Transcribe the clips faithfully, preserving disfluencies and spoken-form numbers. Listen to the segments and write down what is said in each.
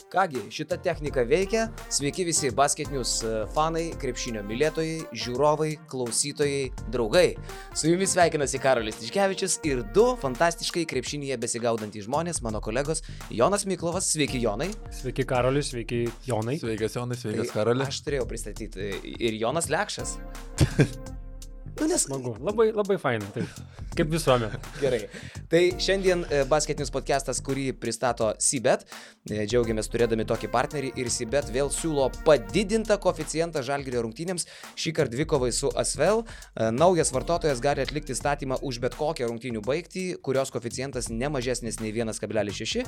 Kągi, šita technika veikia. Sveiki visi Basket News fanai, krepšinio mylėtojai, žiūrovai, klausytojai, draugai. Su jumis sveikinasi Karolis Tiškevičius ir du fantastiškai krepšinyje besigaudantys žmonės, mano kolegos Jonas Miklovas. Sveiki, Jonai. Sveiki, Karolis, sveiki, Jonai. Sveikas, Jonai, sveikas, Tai Karolis. Aš turėjau pristatyti ir Jonas Lekšas. Nu, nes... Smagu, labai, labai faina, taip, kaip visuomet. Gerai. Tai šiandien Basket News podcastas, kurį pristato Sybet. Džiaugiamės turėdami tokį partnerį ir Sybet vėl siūlo padidintą koeficientą Žalgirio rungtynėms, šį kartą dvikovai su Asvel. Naujas vartotojas gali atlikti statymą už bet kokią rungtynių baigtį, kurios koeficientas ne mažesnis nei vienas kablelis šeši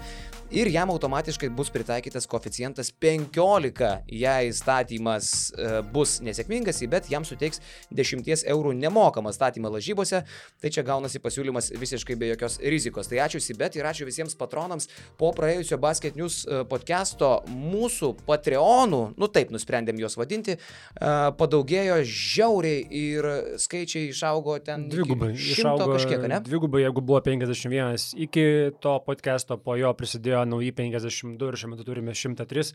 ir jam automatiškai bus pritaikytas koeficientas penkiolika. Jei statymas bus nesėkmingas, Sybet jam suteiks dešimties eurų nemokamą statymą lažybose, tai čia gaunasi pasiūlymas visiškai be jokios rizikos. Tai ačiū Sybet ir ačiū visiems patronams. Po praėjusio Basket News podcast'o mūsų Patreonų, nu taip nusprendėm juos vadinti, padaugėjo žiauriai ir skaičiai išaugo ten Dvigubai, šimto kažkiek, ne? Dvigubai, jeigu buvo penkiasdešimt vienas iki to podcast'o, po jo prisidėjo nauji penkiasdešimt du ir šiuo metu turime šimtą tris.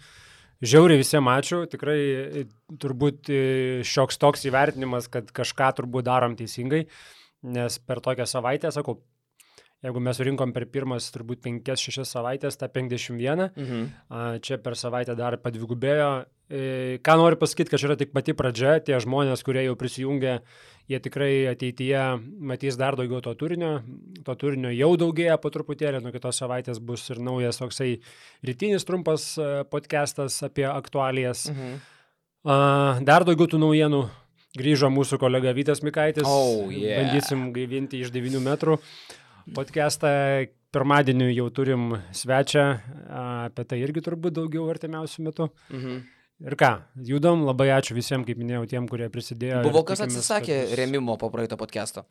Žiauriai visiems ačiū, tikrai turbūt šioks toks įvertinimas, kad kažką turbūt darom teisingai, nes per tokią savaitę, sakau, jeigu mes surinkom per pirmas turbūt penkias šešias savaitės, tą penkiasdešimt vieną, mhm. čia per savaitę dar padvigubėjo. Ką noriu pasakyti, kad čia yra tik pati pradžia, tie žmonės, kurie jau prisijungė, jie tikrai ateityje matys dar daugiau to turinio, to turinio jau daugėja po truputėlį, nuo kitos savaitės bus ir naujas toksai rytinis trumpas podcastas apie aktualijas. Mhm. Dar daugiau tų naujienų, grįžo mūsų kolega Vytas Mikaitis, oh, yeah. bandysim gaivinti iš devynių metrų podcastą. Pirmadienį jau turim svečią, apie tai irgi turbūt daugiau artimiausių metų. Mhm. Ir ką, judom, labai ačiū visiems, kaip minėjau, tiem, kurie prisidėjo. Buvo kas atsisakė bus... remimo po praeito podcast'o?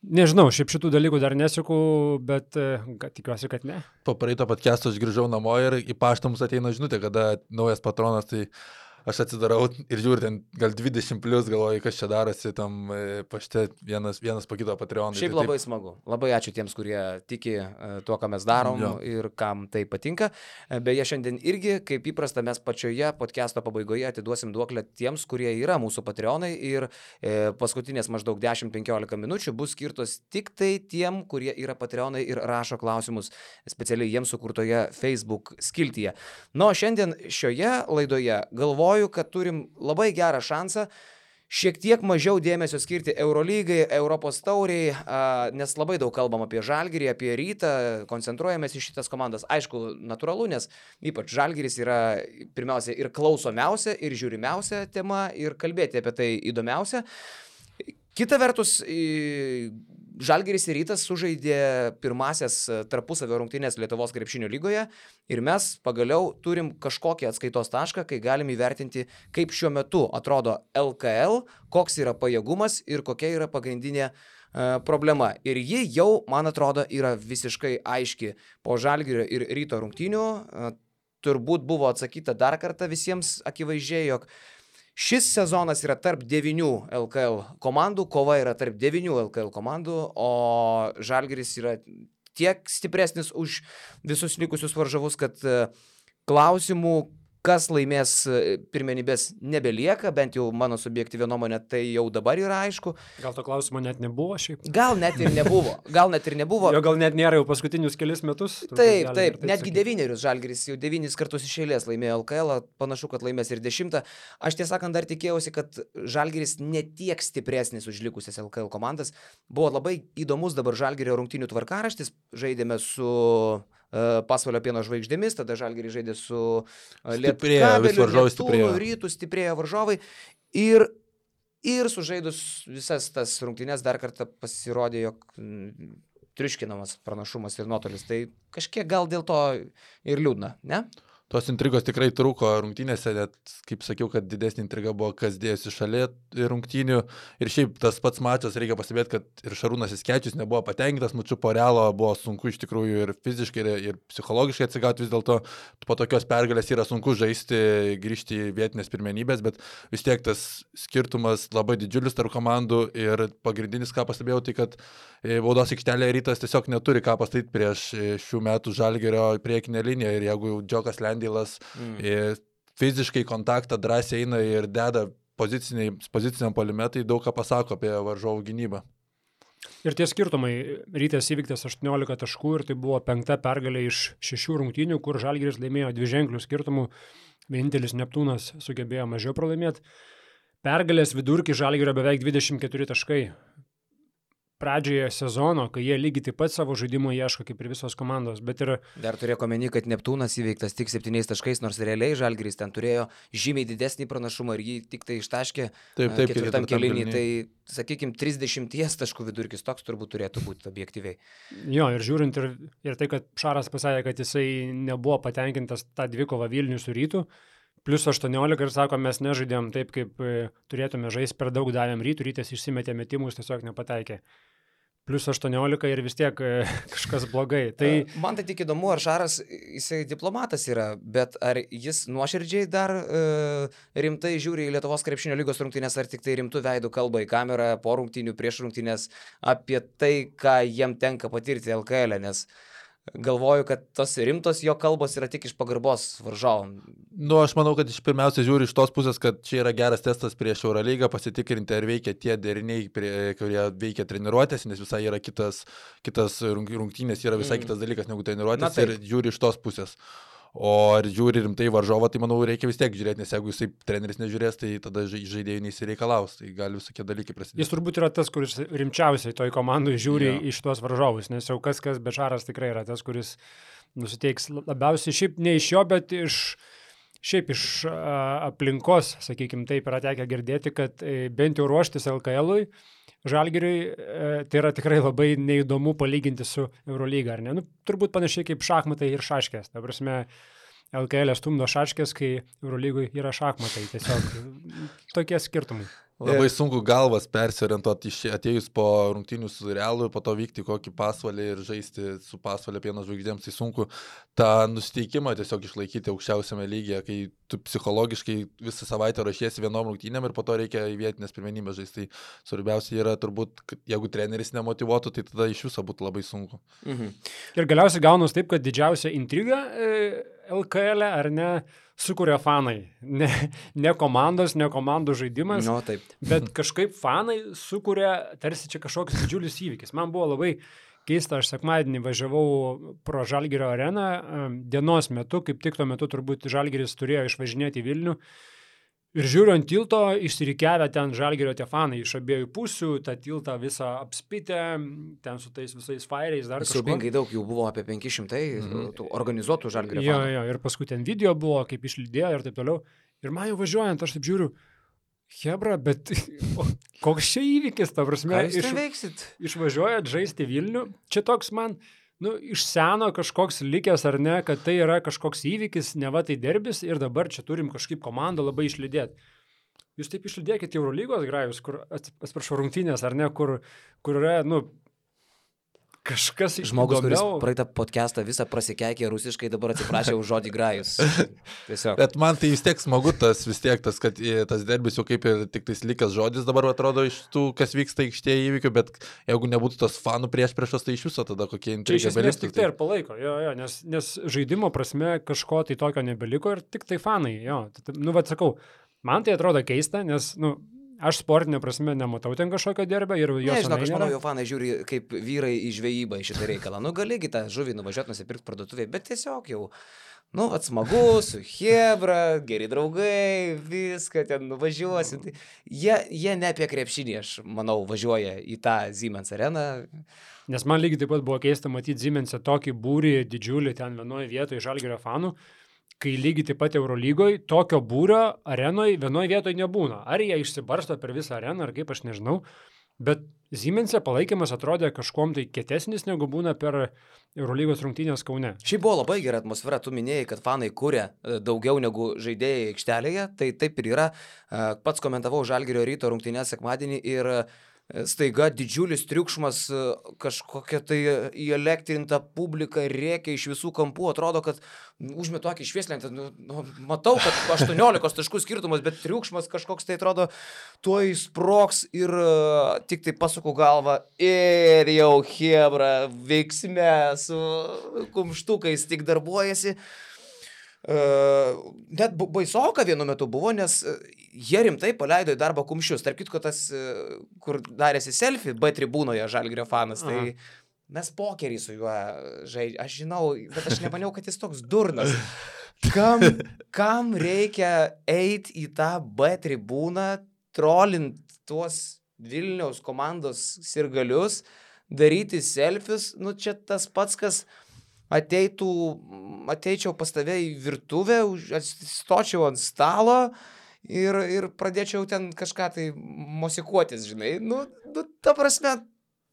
Nežinau, šiaip šitų dalykų dar neseku, bet kad, tikiuosi, kad ne. Po praeito podcast'o aš grįžau namo ir į paštą mums ateina žinutė, kada naujas patronas, tai aš atsidarau ir žiūriu, ten gal dvidešimt plus, galvoju, kas čia darosi tam pašte vienas, vienas po kito Patreonai. Šiaip tai labai taip... smagu. Labai ačiū tiems, kurie tiki tuo, ką mes darom jo. Ir kam tai patinka. Beje, šiandien irgi, kaip įprasta, mes pačioje podcast'o pabaigoje atiduosim duoklę tiems, kurie yra mūsų Patreonai ir e, paskutinės maždaug dešimt penkiolika minučių bus skirtos tik tai tiem, kurie yra Patreonai ir rašo klausimus specialiai jiems sukurtoje Facebook skiltyje. Nu, šiandien šioje laidoje galvoju, kad turim labai gerą šansą šiek tiek mažiau dėmesio skirti Eurolygai, Europos tauriai, nes labai daug kalbam apie Žalgirį, apie Rytą, koncentruojamės į šitas komandas. Aišku, natūralu, nes ypač Žalgiris yra pirmiausia ir klausomiausia, ir žiūrimiausia tema, ir kalbėti apie tai įdomiausia. Kita vertus, Žalgiris ir Rytas sužaidė pirmasias tarpusavio rungtynės Lietuvos krepšinio lygoje ir mes pagaliau turim kažkokį atskaitos tašką, kai galim įvertinti, kaip šiuo metu atrodo L K L, koks yra pajėgumas ir kokia yra pagrindinė uh, problema. Ir ji jau, man atrodo, yra visiškai aiški po Žalgirio ir Ryto rungtynių. Uh, turbūt buvo atsakyta dar kartą visiems akivaizdžiai, jog šis sezonas yra tarp devynių L K L komandų, kova yra tarp devynių L K L komandų, o Žalgiris yra tiek stipresnis už visus likusius varžovus, kad klausimų, kas laimės pirmenybės nebelieka, bent jau mano subjektyvia nuomonė, tai jau dabar yra aišku. Gal to klausimo net nebuvo šiaip? Gal net ir nebuvo. Gal net ir nebuvo. Jo gal net nėra jau paskutinius kelis metus. Taip, taip, taip, netgi devynerius Žalgiris jau devynis kartus iš eilės laimėjo L K L, panašu, kad laimės ir dešimtą. Aš tiesą sakant dar tikėjausi, kad Žalgiris netiek stipresnis už likusias L K L komandas. Buvo labai įdomus dabar Žalgirio rungtynių tvarkaraštis. Žaidėme su Pasvalio Pieno žvaigždėmis, tada Žalgiris žaidė su Lietkabeliu, Neptūnu, Rytu, stiprėjo varžovai ir, ir sužaidus visas tas rungtynes dar kartą pasirodė, jog triuškinamas pranašumas ir nuotolis. Tai kažkiek gal dėl to ir liūdna, ne? Tos intrigos tikrai trūko rungtynėse, net, kaip sakiau, kad didesnė intriga buvo, kas dėjosi šalia rungtynių. Ir šiaip tas pats mačas, reikia pastebėti, kad ir Šarūnas Jasikevičius nebuvo patenkintas, mačiu po Realo buvo sunku iš tikrųjų ir fiziškai, ir, ir psichologiškai atsigauti, vis dėlto po tokios pergalės yra sunku žaisti, grįžti į vietinės pirmenybės, bet vis tiek tas skirtumas labai didžiulis tarp komandų ir pagrindinis, ką pastebėjau, tai kad baudos aikštelėje Rytas tiesiog neturi ką pastatyti prieš šių metų Žalgirio priekinę liniją ir jeigu Džiokas Lendis Vandėlas mm. fiziškai kontaktą drąsiai eina ir deda poziciniam polimetai, daug ką pasako apie varžovų gynybą. Ir tie skirtumai, Rytas įvyktas aštuoniolika taškų ir tai buvo penkta pergalė iš šešių rungtynių, kur Žalgiris laimėjo dviženklių skirtumų, vienintelis Neptūnas sugebėjo mažiau pralaimėti. Pergalės vidurkį Žalgirio beveik dvidešimt keturi taškai. Pradžioje sezono, kai jie lygiai taip pat savo žaidimo ieško, kaip ir visos komandos, bet ir... Dar turėjo omeny, kad Neptūnas įveiktas tik septyniais taškais, nors realiai Žalgiris ten turėjo žymiai didesnį pranašumą ir jį tik tai ištaškė taip, taip, ketvirtam kėlinį. Tai, sakykime, trisdešimt taškų vidurkis toks turbūt turėtų būti objektyviai. Jo, ir žiūrint ir, ir tai, kad Šaras pasakė, kad jisai nebuvo patenkintas tą dvikovą Vilnių su Rytu, plus aštuoniolika ir sako, mes nežaidėm taip, kaip turėtume žaisti, per daug davėm Rytų, Rytas išsimetė metimus, tiesiog nepataikė. Plus aštuoniolika ir vis tiek kažkas blogai. Tai... Man tai tik įdomu, ar Šaras, jisai diplomatas yra, bet ar jis nuoširdžiai dar e, rimtai žiūri į Lietuvos krepšinio lygos rungtynės, ar tik tai rimtų veidų kalba į kamerą po rungtynių, prieš rungtynės apie tai, ką jiem tenka patirti L K L, nes galvoju, kad tos rimtos jo kalbos yra tik iš pagarbos varžovom. Nu, aš manau, kad iš pirmiausia žiūri iš tos pusės, kad čia yra geras testas prieš Eurolygą, pasitikrinti, ar veikia tie deriniai, prie, kurie veikia treniruotės, nes visai yra kitas, kitas rungtynės, yra visai mm. kitas dalykas negu treniruotės. Na, ir žiūri iš tos pusės. O ar žiūri rimtai varžovą, tai manau reikia vis tiek žiūrėti, nes jeigu jisai treneris nežiūrės, tai tada žaidėjų neįsireikalaus, tai gali visokie dalykai prasidėti. Jis turbūt yra tas, kuris rimčiausiai toj komandai žiūri ja. iš tuos varžovus, nes jau kas kas, bet Šaras tikrai yra tas, kuris nusiteiks labiausiai šiaip ne iš jo, bet iš, šiaip iš a, aplinkos, sakykim, taip yra tekę girdėti, kad e, bent jau ruoštis L K L-ui, Žalgiriui e, tai yra tikrai labai neįdomu palyginti su Eurolyga, ar ne? Nu, turbūt panašiai kaip šachmatai ir šaškės. Ta prasme, L K L stumdo šaškės, kai Eurolygui yra šachmatai. Tiesiog tokie skirtumai. Labai sunku galvas persiorientuoti atėjus po rungtynių su Realu ir po to vykti kokį pasvalį ir žaisti su pasvalio Pieno žvaigždėms. Tai sunku tą nusiteikimą tiesiog išlaikyti aukščiausiame lygyje, kai tu psichologiškai visą savaitę rašiesi vienom rungtynėm ir po to reikia į vietinės pirmenybės žaisti. Tai svarbiausia yra turbūt, kad jeigu treneris nemotyvuotų, tai tada iš viso būtų labai sunku. Mhm. Ir galiausiai gaunus taip, kad didžiausia intriga e, L K L, ar ne, sukuria fanai. Ne, ne komandos, ne komandų žaidimas, no, taip. Bet kažkaip fanai sukuria tarsi čia kažkoks didžiulis įvykis. Man buvo labai keista, aš sekmadienį važiavau pro Žalgirio areną, dienos metu, kaip tik tuo metu turbūt Žalgiris turėjo išvažinėti į Vilnių. Ir žiūriu ant tilto, išsirikiavę ten Žalgirio tie fanai iš abiejų pusių, tą tiltą visą apspitę, ten su tais visais fairiais dar kažko. Siaubingai daug jų buvo, apie penki šimtai mm-hmm. organizuotų Žalgirio fanų. Jo, jo, ir paskui ten video buvo, kaip išlydėjo ir taip toliau. Ir man jau važiuojant, aš taip žiūriu, hebra, bet koks čia įvykis, ta prasme, ką jūs iš, veiksit? Išvažiuojat žaisti Vilnių, čia toks man... Nu, iš seno kažkoks likęs ar ne, kad tai yra kažkoks įvykis, neva tai derbis ir dabar čia turim kažkaip komandą labai išlydėti. Jūs taip išlydėkite Eurolygos grajus, kur, atsiprašau, rungtynės ar ne, kur, kur yra, nu, kažkas žmogus, įdomiau. Kuris praeitą podcastą visą prasikeikė rusiškai, dabar atsiprašė už žodį grajus. Tiesiog. Bet man tai vis tiek smagu tas, vis tiek tas, kad tas derbis jau kaip ir tik tais likęs žodis dabar atrodo iš tų, kas vyksta aikštėje įvykių, bet jeigu nebūtų tos fanų prieš priešas, tai iš viso tada kokie intrigai. Čia iš esmės tik tai ir palaiko, jo, jo, nes, nes žaidimo prasme kažko tai tokio nebeliko ir tik tai fanai, jo. Nu, vad sakau, man tai atrodo keista, nes, nu, aš sportinė prasme nematau ten kažkokio derbio ir jos ne, žinok, aš manau, jo fanai žiūri kaip vyrai į žvejybą į šitą reikalą. Nu, galėgi tą žuvį nuvažiuoti, nusipirkti parduotuvėje, bet tiesiog jau, nu, atsmagu, su hebra, geri draugai, viską ten nuvažiuosi. Tai jie, jie ne apie krepšinį, aš manau, važiuoja į tą Siemens areną. Nes man lygiai taip pat buvo keista matyti Siemens'e tokį būrį didžiulį ten vienoje vietoje Žalgirio fanų, kai lygiai taip pat Eurolygoje tokio būrio arenoje vienoje vietoje nebūna. Ar jie išsibarsto per visą areną, ar kaip, aš nežinau. Bet Siemens'e palaikymas atrodė kažkuom tai kietesnis, negu būna per Eurolygos rungtynės Kaune. Šiaip buvo labai gera atmosfera, tu minėjai, kad fanai kuria daugiau negu žaidėjai aikštelėje, tai taip ir yra. Pats komentavau Žalgirio Ryto rungtynės sekmadienį ir staiga didžiulis triukšmas, kažkokia tai įelektrinta publika rėkia iš visų kampų, atrodo, kad užmet tokį švieslentę, nu, nu, matau, kad aštuoniolikos taškų skirtumas, bet triukšmas kažkoks tai atrodo, tuoj sprogs ir uh, tik tai pasuku galvą ir jau hebra veiksme su kumštukais tik darbuojasi. Uh, net baisoka vienu metu buvo, nes jie rimtai paleido į darbą kumščius. Tarp kitko tas, uh, kur darėsi selfie B tribūnoje Žalgirio fanas, tai Aha. mes pokerį su juo žaidžiame. Aš žinau, bet aš nemaniau, kad jis toks durnas. Kam, kam reikia eiti į tą B tribūną, trolint tuos Vilniaus komandos sirgalius, daryti selfius, nu čia tas pats, kas ateitų, ateičiau pas tave į virtuvę, stočiau ant stalo ir, ir pradėčiau ten kažką tai mosikuotis, žinai. Nu, nu, ta prasme,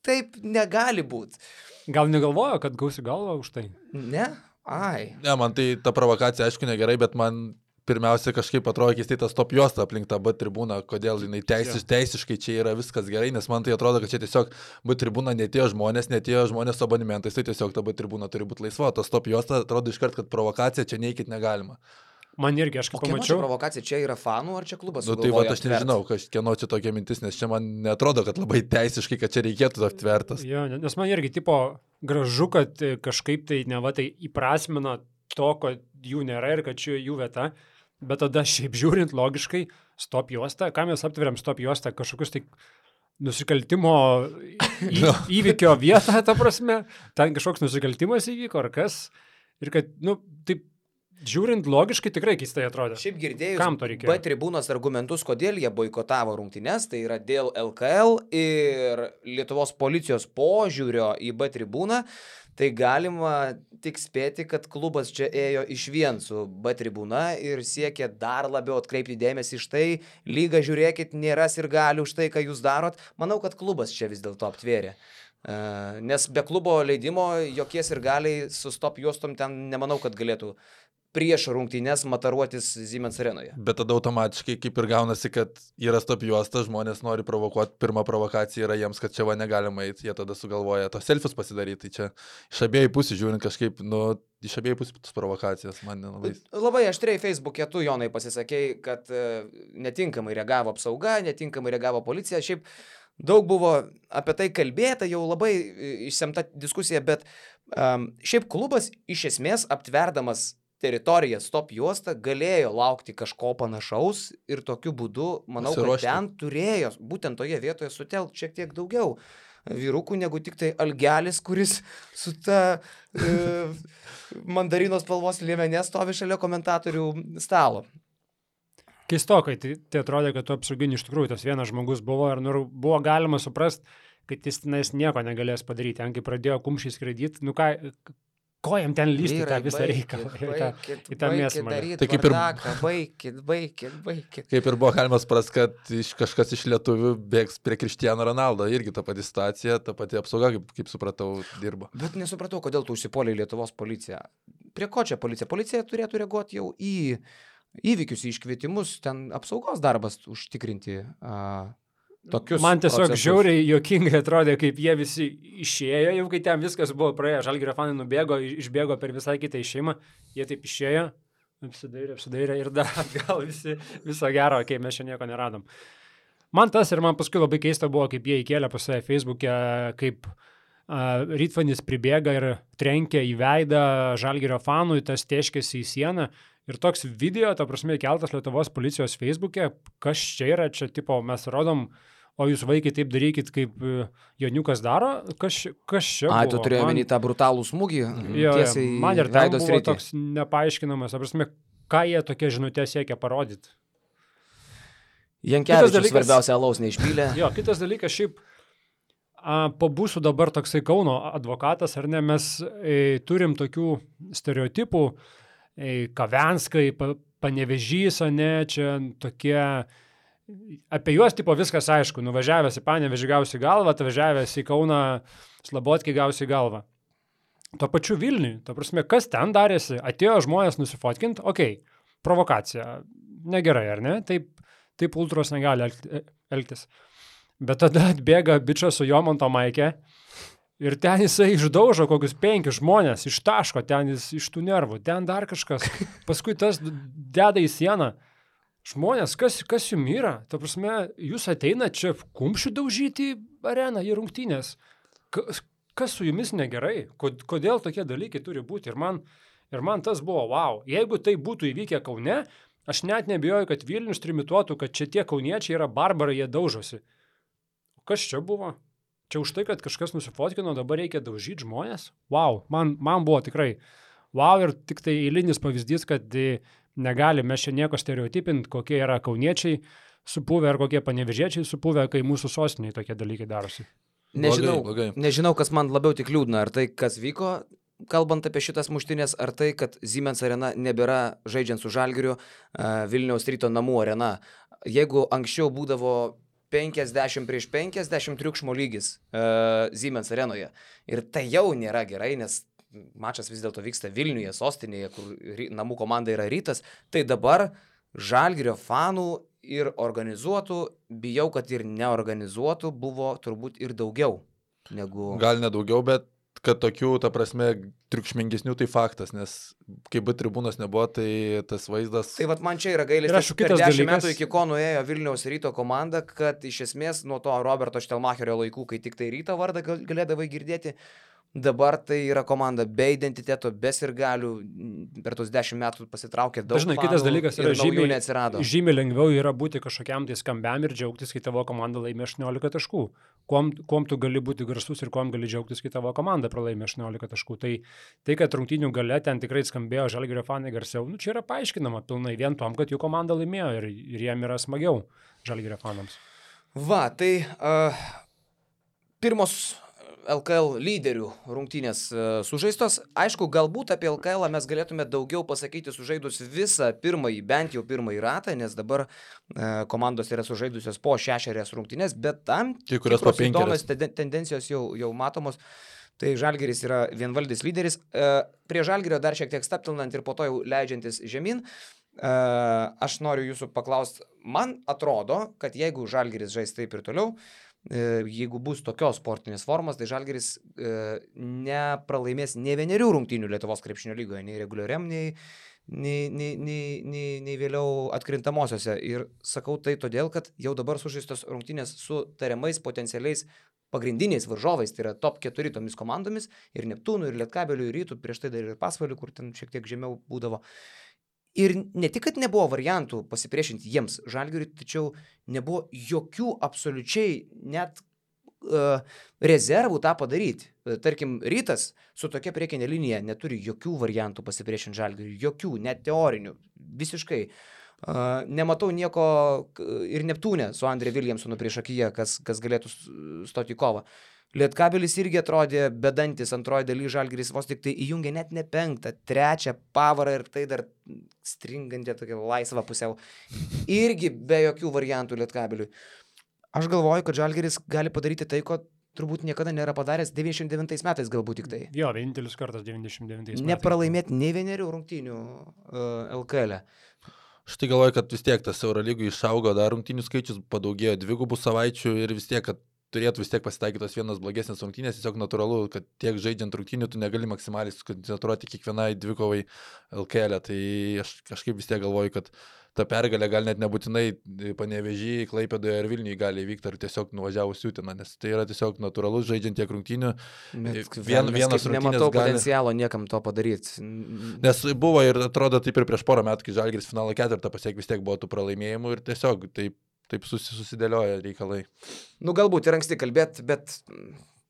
taip negali būti. Gal negalvojo, kad gausi galvą už tai? Ne? Ai. Ne, man tai ta provokacija, aišku, negerai, bet man pirmiausia kažkaip atrodo keistai tas top juosta aplink tą B tribūną, kodėl jinai teisiš, teisiškai čia yra viskas gerai, nes man tai atrodo, kad čia tiesiog B tribūna netėjo žmonės, netėjo žmonės su abonementais, tai tiesiog ta B tribūna turi būti laisva, tas top juosta atrodo iškart, kad provokacija čia neikit negalima. Man irgi, aš kaip pamačiau. O provokacija čia yra fanų ar čia klubas? Nu tai va, aš nežinau, kieno čia tokia mintis, nes čia man netrodo, kad labai teisiškai, kad čia reikėtų aptvertas. Jo, nes man irgi tipo gražu, kad kažkaip tai ne va tai įprasmina to, kad jų nėra ir kad čia jų vieta. Bet tada šiaip žiūrint logiškai, stop juosta, ką mes aptveriam stop juosta, kažkokius tai nusikaltimo į, no. įvykio vietą, ta prasme, ten kažkoks nusikaltimas įvyko ar kas, ir kad, nu, taip, žiūrint logiškai tikrai keistai atrodo. Šiaip girdėjus B tribūnos argumentus, kodėl jie boikotavo rungtynes, tai yra dėl L K L ir Lietuvos policijos požiūrio į B tribūną, tai galima tik spėti, kad klubas čia ėjo išvien su B tribūna ir siekė dar labiau atkreipti dėmesį iš tai, lyga žiūrėkit, nėra sirgalių už tai, ką jūs darot. Manau, kad klubas čia vis dėlto aptvėrė. Uh, nes be klubo leidimo jokie sirgaliai su stop juostom ten nemanau, kad galėtų prieš rungtynes mataruotis Siemens arenoje. Bet tada automatiškai kaip ir gaunasi, kad yra stop juosta, žmonės nori provokuoti, pirma provokacija yra jiems, kad čia va negalima eiti, jie tada sugalvoja tos selfius pasidaryti, tai čia iš abiejų pusių žiūrint kažkaip, nu, iš abiejų pusių tos provokacijos man nelabai. Labai aštriai Facebook'e tu, Jonai, pasisakei, kad uh, netinkamai reagavo apsauga, netinkamai reagavo policija, šiaip daug buvo apie tai kalbėta, jau labai išsemta diskusija, bet um, šiaip klubas iš esmės aptverdamas teritorija stop juosta galėjo laukti kažko panašaus ir tokiu būdu, manau, kad ten turėjo būtent toje vietoje sutelkti šiek tiek daugiau vyrukų negu tik tai Algelis, kuris su ta e, mandarino spalvos liemenė stovi šalia komentatorių stalo. Keistokai, tai, tai atrodė, kad tu apsaugini iš tikrųjų tas vienas žmogus buvo ir nu, buvo galima suprast, kad jis tenais nieko negalės padaryti. Ten, kai pradėjo kumščiai skraidyti, nu ką, ko jam ten lysti tą visą reikalą į tą mėsmą. Tai kaip ir baikit, baikit, baikit. Kaip ir buvo galima suprast, kad iš, kažkas iš lietuvių bėgs prie Cristiano Ronaldo, irgi ta pati situacija, ta pati apsauga, kaip, kaip supratau, dirba. Bet nesupratau, kodėl tu užsipuolei Lietuvos policiją. Prie ko čia policija? Policija turėtų reaguoti jau į įvykius, į iškvietimus, ten apsaugos darbas užtikrinti uh, tokius Man tiesiog procesus. Žiauriai juokingai atrodė, kaip jie visi išėjo, jau kai ten viskas buvo praėję, Žalgirio fanai nubėgo, išbėgo per visai kitą išėjimą, jie taip išėjo, apsidairė, apsidairė ir dar atgal visi, viso gero, kai mes čia nieko neradom. Man tas ir man paskui labai keista buvo, kaip jie įkėlė pas save Facebook'e, kaip uh, Rytvanis pribėga ir trenkia į veidą Žalgirio fanui, tas tėškėsi į sieną. Ir toks video, ta prasme, keltas Lietuvos policijos Facebook'e, kas čia yra, čia tipo mes rodom, o jūs vaikai taip darykit, kaip Joniukas daro, kas, kas čia buvo. Ai, tu turėjai omeny tą brutalų smūgį, jo, tiesiai man ir ten buvo sritį. Toks nepaaiškinamas, ta prasme, ką jie tokia žinutė siekia parodyti. Jankevičius svarbiausia alaus neišpylė. Jo, kitas dalykas, šiaip a, pabūsiu dabar toksai Kauno advokatas, ar ne, mes e, turim tokių stereotipų, Kavenskai, Panevežys, ne, čia tokie, apie juos tipo viskas aišku, nuvažiavęs į Panevežį gausi galvą, atvažiavęs į Kauną Slabotkę gausi galvą. Tuo pačiu Vilniui, ta prasme, kas ten darėsi, atėjo žmonės nusifotkint, okei, okay, provokacija, negerai, ar ne, taip, taip ultros negali elgtis. Bet tada atbėga bičas su Jomanto maike, ir ten jisai išdaužo kokius penkis žmonės, ištaško ten jis iš tų nervų, ten dar kažkas. Paskui tas deda į sieną. Žmonės, kas, kas jums yra? Ta prasme, jūs ateina čia kumščių daužyti į areną, į rungtynės. Kas, kas su jumis negerai? Kodėl tokie dalykai turi būti? Ir man Ir man tas buvo, wow, jeigu tai būtų įvykę Kaune, aš net nebijoju, kad Vilnius trimituotų, kad čia tie kauniečiai yra barbarai, jie daužosi. O kas čia buvo? Čia už tai, kad kažkas nusifotkino, dabar reikia daužyti žmonės? Wow, man, man buvo tikrai wow ir tik tai eilinis pavyzdys, kad negali mes čia nieko stereotipinti, kokie yra kauniečiai supuvę ar kokie panevežiečiai supuvę, kai mūsų sostiniai tokie dalykai darosi. Nežinau, blogai, blogai. nežinau, kas man labiau tik liūdna, ar tai, kas vyko, kalbant apie šitas muštinės, ar tai, kad Siemens arena nebėra žaidžiant su Žalgiriu Vilniaus Ryto namų arena. Jeigu anksčiau būdavo penkiasdešimt prieš penkiasdešimt triukšmo lygis uh, Siemens arenoje, ir tai jau nėra gerai, nes mačas vis dėlto vyksta Vilniuje, sostinėje, kur namų komanda yra Rytas, tai dabar Žalgirio fanų ir organizuotų, bijau, kad ir neorganizuotų buvo turbūt ir daugiau negu... Gal ne daugiau, bet kad tokių, ta prasme, triukšmingesnių tai faktas, nes kai B tribūnos nebuvo, tai tas vaizdas... Tai vat man čia yra gailestis, per dešimt metų iki ko nuėjo Vilniaus Ryto komanda, kad iš esmės nuo to Roberto Štelmacherio laikų, kai tik tai Ryto vardą galėdavai girdėti, dabar tai yra komanda be identiteto, be sirgalių, per tos dešimt metų pasitraukė daug Dažnai kitas dalykas yra žymiai, neatsirado. Žymiai lengviau yra būti kažkokiam tai skambiam ir džiaugtis, kai tavo komanda laimė aštuoniolika taškų. Kuom, kuom tu gali būti garsus ir kuom gali džiaugtis, kai tavo komanda pralaimė aštuoniolika taškų. Tai, tai kad rungtynių gale ten tikrai skambėjo Žalgirio fanai garsiau, nu, čia yra paaiškinama pilnai vien tom, kad jų komanda laimėjo ir, ir jiem yra smagiau Žalgirio fanams. Va, tai uh, pirmos L K L lyderių rungtynės sužaistos. Aišku, galbūt apie L K L mes galėtume daugiau pasakyti sužaidus visą pirmąjį, bent jau pirmąjį ratą, nes dabar e, komandos yra sužaidusios po šešerias rungtynės, bet tam tikros įdomios tendencijos jau, jau matomos. Tai Žalgiris yra vienvaldis lyderis. E, prie Žalgirio dar šiek tiek staptilnant ir po to jau leidžiantis žemyn. E, aš noriu jūsų paklausti, man atrodo, kad jeigu Žalgiris žais taip ir toliau, jeigu bus tokios sportinės formos, tai Žalgiris e, nepralaimės nei vienerių rungtynių Lietuvos krepšinio lygoje, nei reguliariam, nei, nei, nei, nei, nei, nei vėliau atkrintamosiose. Ir sakau tai todėl, kad jau dabar sužaistos rungtynės su tariamais potencialiais pagrindiniais varžovais, tai yra top keturi tomis komandomis, ir Neptūnų, ir Lietkabelių, ir Rytų, prieš tai dar ir Pasvalių, kur ten šiek tiek žemiau būdavo. Ir ne tik, kad nebuvo variantų pasipriešinti jiems Žalgiriui, tačiau nebuvo jokių absoliučiai net uh, rezervų tą padaryti. Tarkim, Rytas su tokia priekinė linija neturi jokių variantų pasipriešinti Žalgiriui, jokių, net teorinių, visiškai. Uh, nematau nieko ir Neptūne su Andre Williamsonu priešakyje, kas, kas galėtų stoti į kovą. Lietkabelis irgi atrodė bedantis antroji daly, Žalgiris vos tik tai įjungė net ne penktą, trečią pavarą ir tai dar stringantė tokia laisva pusiau. Irgi be jokių variantų Lietkabeliui. Aš galvoju, kad Žalgiris gali padaryti tai, ko turbūt niekada nėra padaręs devyniasdešimt devintais metais galbūt tik tai. Jo, vienintelis kartas devyniasdešimt devintais metais. Nepralaimėti nei vienerių rungtynių uh, L K L. Aš tai galvoju, kad vis tiek tas Eurolygų išaugo dar rungtynių skaičius, padaugėjo dvigubų savaičių ir vis tiek, kad turėtų vis tiek pasitaikytos vienas blogesnės rungtynės, tiesiog natūralu, kad tiek žaidžiant rungtynių tu negali maksimaliai sukoncentruoti kiekvienai dvikovai L K L. Tai aš kažkaip vis tiek galvoju, kad ta pergalė gal net nebūtinai Panevėžy, Klaipėdoje ar Vilniuje gali įvykti, ar tiesiog nuvažiavus Uteną, nes tai yra tiesiog natūralus žaidžiant tiek rungtynių. Vien, vienas rungtynės nematau gali... potencialo niekam to padaryti. Nes buvo ir atrodo taip ir prieš porą metų, kai Žalgiris finalo ketvirtą pasiekė, vis tiek buvo tų pralaimėjimų ir tiesiog taip Taip susidėlioja reikalai. Nu, galbūt ir anksti kalbėt, bet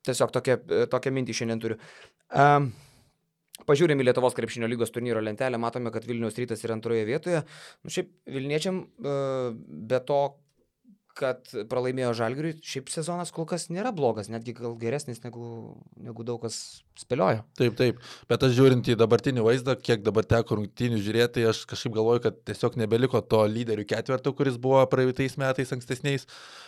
tiesiog tokią, tokią mintį šiandien turiu. Um, pažiūrėm į Lietuvos krepšinio lygos turnyro lentelę, matome, kad Vilniaus Rytas yra antroje vietoje. Nu, šiaip Vilniečiam uh, be to, kad pralaimėjo Žalgiriui, šiaip sezonas kol kas nėra blogas, netgi gal geresnis negu, negu daug kas spėliojo. Taip, taip, bet aš žiūrint į dabartinį vaizdą, kiek dabar teko rungtynių žiūrėti, tai aš kažkaip galvoju, kad tiesiog nebeliko to lyderių ketverto, kuris buvo praeitais metais ankstesniais,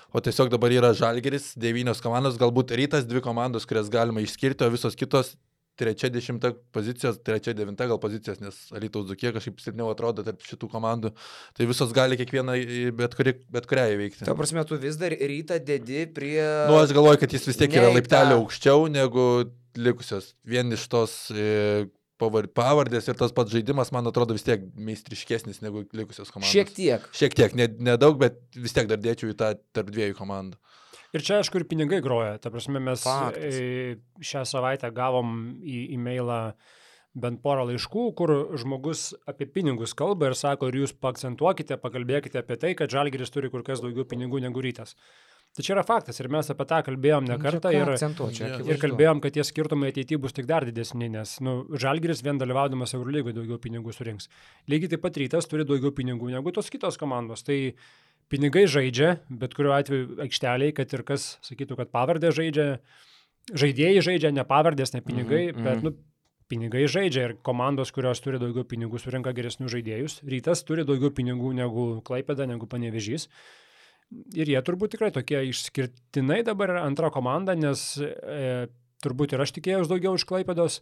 o tiesiog dabar yra Žalgiris, devynios komandos, galbūt Rytas, dvi komandos, kurias galima išskirti, o visos kitos trečia, dešimta pozicijos, trečia, devinta gal pozicijos, nes Alytaus Dzūkija kažkaip silpniau atrodo tarp šitų komandų. Tai visos gali kiekvieną bet, kuri, bet kurią įveikti. Ta prasme, tu vis dar Rytą dedi prie... Nu, aš galvoju, kad jis vis tiek yra laiptelio aukščiau negu likusios. Vien iš tos e, pavardės ir tas pats žaidimas, man atrodo, vis tiek meistriškesnis negu likusios komandos. Šiek tiek. Šiek tiek, nedaug, ne bet vis tiek dar dėčiau į tą tarp dviejų komandų. Ir čia, aišku, ir pinigai groja. Ta prasme, mes Faktas. šią savaitę gavom į e-mailą bent porą laiškų, kur žmogus apie pinigus kalba ir sako, ir jūs paakcentuokite, pakalbėkite apie tai, kad Žalgiris turi kur kas daugiau pinigų negu Rytas. Tai čia yra faktas ir mes apie tą kalbėjom ne kartą ir, ir kalbėjom, kad tie skirtumai ateityje bus tik dar didesni, nes nu, Žalgiris vien dalyvaudamas Eurolygoje daugiau pinigų surinks. Lygiai taip pat Rytas turi daugiau pinigų negu tos kitos komandos. Tai pinigai žaidžia, bet kuriuo atveju aikšteliai, kad ir kas sakytų, kad pavardė žaidžia, žaidėjai žaidžia, ne pavardės, ne pinigai, mm-hmm. bet nu, pinigai žaidžia ir komandos, kurios turi daugiau pinigų, surinka geresnius žaidėjus. Rytas turi daugiau pinigų negu Klaipėda, negu Panevėžys. Ir jie turbūt tikrai tokie išskirtinai dabar yra antra komanda, nes e, turbūt ir aš tikėjau daugiau iš Klaipėdos.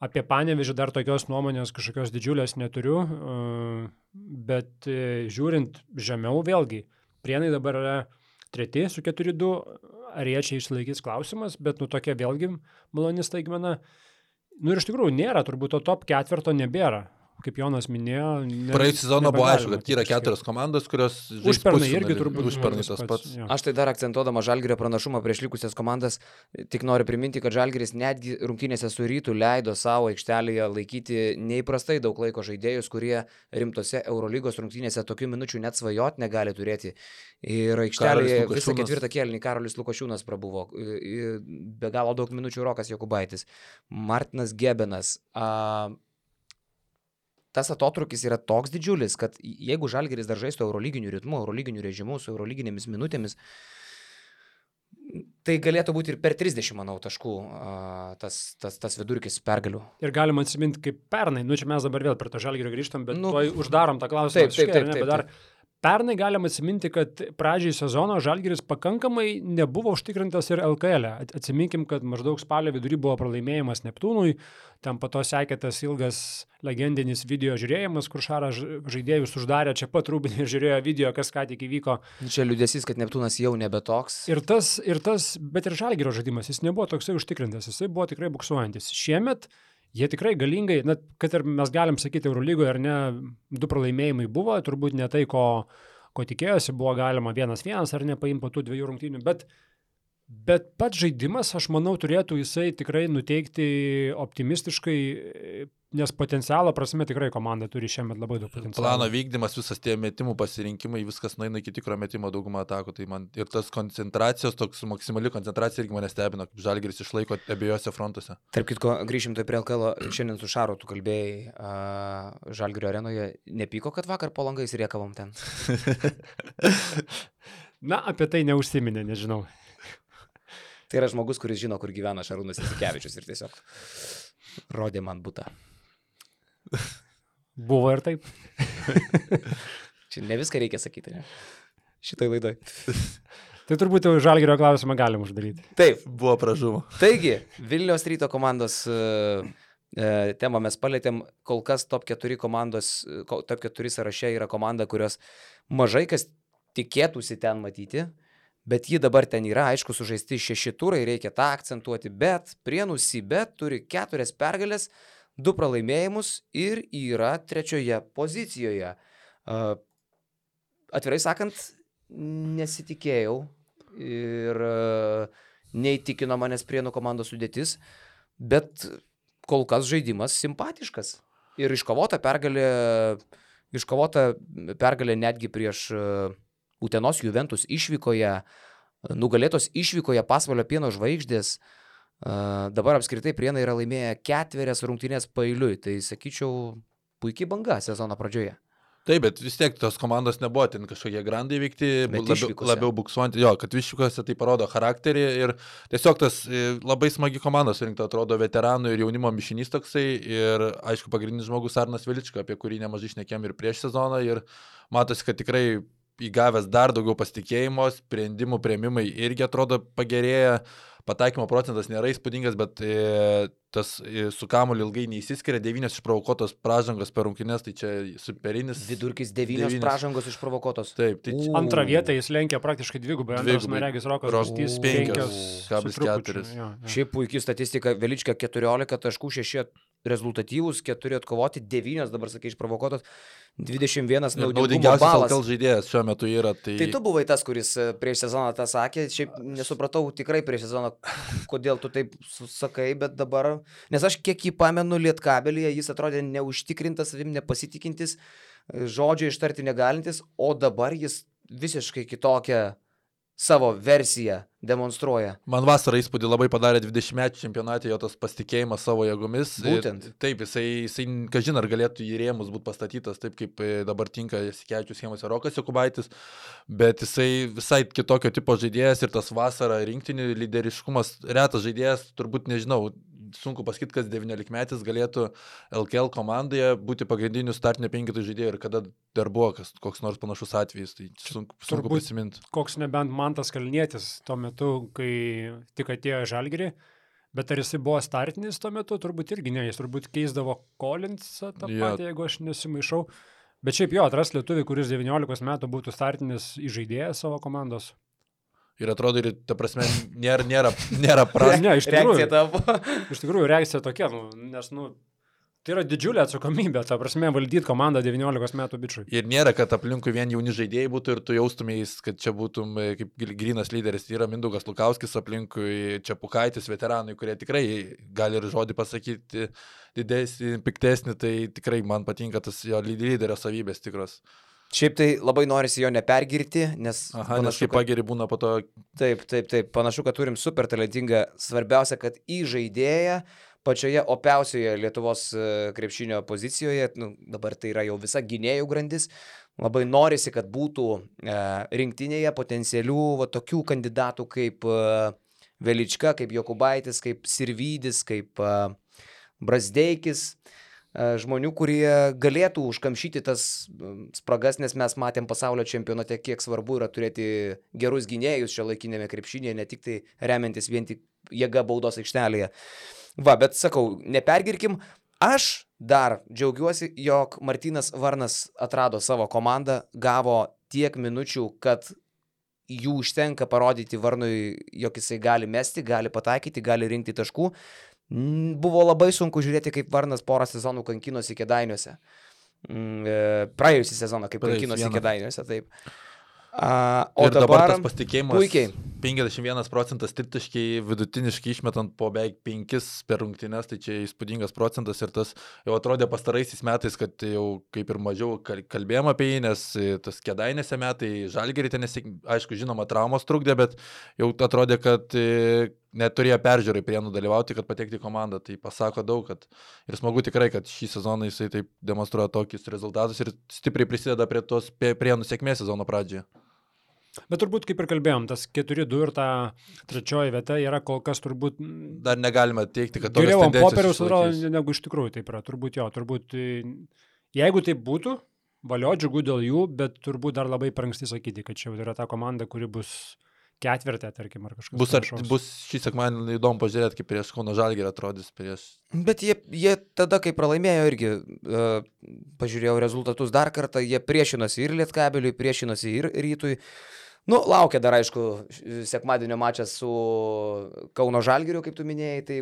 Apie Panevėžį dar tokios nuomonės kažkokios didžiulės neturiu, e, bet e, žiūrint žemiau vėlgi, Prienai dabar yra treti su keturi du, ar jie čia išsilaikys klausimas, bet nu tokia vėlgi maloni staigmena. Nu ir iš tikrųjų nėra, turbūt to top ketvirto nebėra. Kaip Jonas minėjo... Ne, praėjusį sezoną buvo aišku, kad yra keturios komandos, kurios žais užpernai irgi turbūt užpernai tas pats. Jo. Aš tai dar akcentuodama Žalgirio pranašumą prieš likusias komandas, tik noriu priminti, kad Žalgiris netgi rungtynėse su Rytu leido savo aikštelėje laikyti neįprastai daug laiko žaidėjus, kurie rimtose Eurolygos rungtynėse tokių minučių net svajot negali turėti. Ir aikštelėje visą ketvirtą kėlinį Karolis Lukošiūnas prabuvo, be galo daug minučių Rokas Jokubaitis, Martinas Gebenas. A, Tas atotrukis yra toks didžiulis, kad jeigu Žalgiris dar žaistų eurolyginiu ritmu, eurolyginiu režimu, su eurolyginėmis minutėmis, tai galėtų būti ir per trisdešimt, manau, taškų tas, tas, tas vidurkis pergalių. Ir galima atsiminti kaip pernai, nu čia mes dabar vėl prie to Žalgirio grįžtam, bet nu, tuoj uždarom tą klausimą. Taip, taip, taip, taip, taip, taip. Pernai galima atsiminti, kad pradžiai sezono Žalgiris pakankamai nebuvo užtikrintas ir L K L. Atsiminkim, kad maždaug spalio vidury buvo pralaimėjimas Neptūnui, ten po to sekė tas ilgas legendinis video žiūrėjimas, kur Šarą žaidėjus uždarė, čia pat Rūbinė ir žiūrėjo video, kas ką tik įvyko. Čia liūdesys, kad Neptūnas jau nebe toks. Ir tas, ir tas, bet ir Žalgirio žaidimas, jis nebuvo toksai užtikrintas, jisai buvo tikrai buksuojantis. Šiemet jie tikrai galingai, na, kad ir mes galim sakyti Eurolygoje, ar ne, du pralaimėjimai buvo, turbūt ne tai, ko, ko tikėjosi, buvo galima vienas vienas, ar ne, paimti po tų dviejų rungtynių, bet, bet pats žaidimas, aš manau, turėtų jisai tikrai nuteikti optimistiškai, nes potencialo prasme tikrai komanda turi šiemet labai daug potencialo. Plano vykdymas, visas tie metimų pasirinkimai, viskas nueina iki tikro metimo daugumą atakų, tai man ir tas koncentracijos, toks maksimali koncentracija irgi mane stebino, kaip Žalgiris išlaiko abiejose frontuose. Tarp kitko, grįžim tai prie L K L, šiandien su Šaru tu kalbėjai uh, Žalgirio arenoje, nepyko, kad vakar po langais riekavom ten? Na, apie tai neužsiminė, nežinau. Tai yra žmogus, kuris žino, kur gyvena Šarūnas Jasikevičius ir tiesiog rodė man butą. Buvo ir taip. Čia ne viską reikia sakyti, ne? Šitoj laidoj. Tai turbūt jau Žalgirio klausimą galim uždaryti. Taip. Buvo pražuvo. Taigi, Vilniaus Ryto komandos uh, uh, temą mes palėtėm. Kol kas top keturi komandos, top keturi sąraše yra komanda, kurios mažai kas tikėtųsi ten matyti. Bet ji dabar ten yra, aišku, sužaisti šeši turai, reikia tą akcentuoti, bet Prienų Sibet turi keturias pergalės, du pralaimėjimus ir yra trečioje pozicijoje. Uh, atvirai sakant, nesitikėjau ir uh, neįtikino manęs Prienų komandos sudėtis, bet kol kas žaidimas simpatiškas. Ir iškovota pergalė, iškovota pergalė netgi prieš uh, Utenos Juventus išvykoje, nugalėtos išvykoje Pasvalio Pieno Žvaigždės. Uh, dabar apskritai Prienai yra laimėję ketverias rungtynės paeiliui. Tai sakyčiau, puikiai banga sezono pradžioje. Taip, bet vis tiek tos komandos nebuvo ten kažkokie grandai vykti, labiau, labiau buksuojant. Jo, kad išvykose tai parodo charakterį ir tiesiog tas labai smagi komanda surinkta, atrodo, veteranų ir jaunimo mišinys toksai. Ir aišku, pagrindinis žmogus Arnas Velička, apie kurį nemažai šnekėm ir prieš sezoną. Ir matosi, kad tikrai įgavęs dar daugiau pasitikėjimo, sprendimų priėmimai irgi atrodo pagerėja, pataikymo procentas nėra įspūdingas, bet e, tas e, su kamuoliu ilgai neįsiskiria, devynios išprovokuotos pražangos per rungtynes, tai čia superinis. Vidurkis devynios pražangos išprovokuotos. Taip, tai čia... Antrą vietą jis lenkia praktiškai dvigubai, antras Maregis Rokas penkios kablis keturi. Šiaip puikiai statistika, Velička keturiolika taškų, šeši rezultatyvūs, keturi atkovoti, devynios dabar, sakai, išprovokuotos, dvidešimt vienas naudingumo naudingiausias balas. L K L žaidėjas šiuo metu yra. Tai... tai tu buvai tas, kuris prieš sezoną tą sakė, šiaip nesupratau tikrai prieš sezoną, kodėl tu taip sakai, bet dabar, nes aš kiek jį pamenu Lietkabelyje, jis atrodė neužtikrintas, savim nepasitikintis, žodžio ištarti negalintis, o dabar jis visiškai kitokią savo versiją demonstruoja. Man vasarą įspūdį labai padarė dvidešimtmečių čempionate jo tas pasitikėjimas savo jėgomis. Būtent. Taip, jisai, jisai kažin ar galėtų į rėmus būti pastatytas taip, kaip dabar tinka Jasikevičius schemose Rokas Jokubaitis, bet jisai visai kitokio tipo žaidėjas ir tas vasarą rinktinių lyderiškumas, retas žaidėjas, turbūt nežinau, sunku pasakyti, kas devyniolikmetis galėtų L K L komandoje būti pagrindiniu startinio penketų žaidėjų ir kada dar buvo kas, koks nors panašus atvejis, tai sunku, sunku prisiminti. Koks nebent Mantas Kalnietis tuo metu, kai tik atėjo Žalgirį, bet ar jisai buvo startinis tuo metu, turbūt irgi ne, jis turbūt keisdavo Collinsą tą Jo. patį, jeigu aš nesimaišau. Bet šiaip jo, atras lietuvį, kuris devyniolikos metų būtų startinis įžaidėjas savo komandos. Ir atrodo, ir ta prasme, nėra, nėra, nėra pras. Ne, iš tikrųjų, Reakcija tavo. iš tikrųjų reakcija tokia, nu, nes, nu, tai yra didžiulė atsakomybė, ta prasme, valdyti komandą devyniolikos metų bičiui. Ir nėra, kad aplinkui vien jauni žaidėjai būtų ir tu jaustumės, kad čia būtum e, kaip gil- grynas lyderis. Yra Mindaugas Lukauskis aplinkui, Čepukaitis, veteranai, kurie tikrai gali ir žodį pasakyti didesnį, piktesnį, tai tikrai man patinka tas jo lyderio savybės tikros. Šiaip tai labai norisi jo nepergirti, nes Aha, nes panašu, kaip pageri būna po to. taip, taip, taip, panašu, kad turim super talentingą, svarbiausia, kad į žaidėją pačioje opiausioje Lietuvos e, krepšinio pozicijoje, nu, dabar tai yra jau visa gynėjų grandis, labai norisi, kad būtų e, rinktinėje potencialių va, tokių kandidatų kaip e, Velička, kaip Jokubaitis, kaip Sirvydis, kaip e, Brazdeikis, žmonių, kurie galėtų užkamšyti tas spragas, nes mes matėm pasaulio čempionate, kiek svarbu yra turėti gerus gynėjus šio laikinėme krepšinėje, ne tik tai remiantis vien tik jėga baudos aikštelėje. Va, bet sakau, nepergirkim, aš dar džiaugiuosi, jog Martynas Varnas atrado savo komandą, gavo tiek minučių, kad jų užtenka parodyti Varnui, jog jisai gali mesti, gali pataikyti, gali rinkti taškų. Buvo labai sunku žiūrėti, kaip Varnas porą sezonų kankinosi Kėdainiuose. Praėjusį sezoną, kaip Praėjus kankinosi vieną. Kėdainiuose, taip. A, o Ir dabar dabar tas pasitikėjimas. puikiai. penkiasdešimt vienas procentas tritaškiai vidutiniškai išmetant po beveik penkis per rungtynes, tai čia įspūdingas procentas ir tas jau atrodė pastaraisiais metais, kad jau kaip ir mažiau kal- kalbėjom apie jį, nes tas Kėdainėse metai, Žalgirį ten, nesik- aišku, žinoma, traumos trukdė, bet jau atrodė, kad e, neturėjo peržiūrai Prienų dalyvauti, kad patekti į komandą. Tai pasako daug, kad ir smagu tikrai, kad šį sezoną jisai taip demonstruoja tokius rezultatus ir stipriai prisideda prie tos Pe- Prienų sėkmės sezono pradžioje. Bet turbūt, kaip ir kalbėjom, tas keturi du ir ta trečioji vieta yra kol kas turbūt Dar negalime teikti, kad tokios geriau ant tendencijos popieriaus atrodo, išsilaikys. negu iš tikrųjų taip yra. Turbūt jo, turbūt, e, jeigu taip būtų, valio džiugu dėl jų, bet turbūt dar labai per anksti sakyti, kad čia jau yra ta komanda, kuri bus ketvirtė, tarkim, ar kažkas Bus, ar, panašaus. bus šį sekmadienį įdomu pažiūrėti, kaip prieš Kauno Žalgirį atrodys prieš. Bet jie, jie tada, kai pralaimėjo irgi, uh, pažiūrėjau rezultatus dar kartą, jie priešinosi ir Lietkabeliui, priešinosi ir Rytui. Nu, laukia dar, aišku, sekmadienio mačas su Kauno Žalgiriu, kaip tu minėjai, tai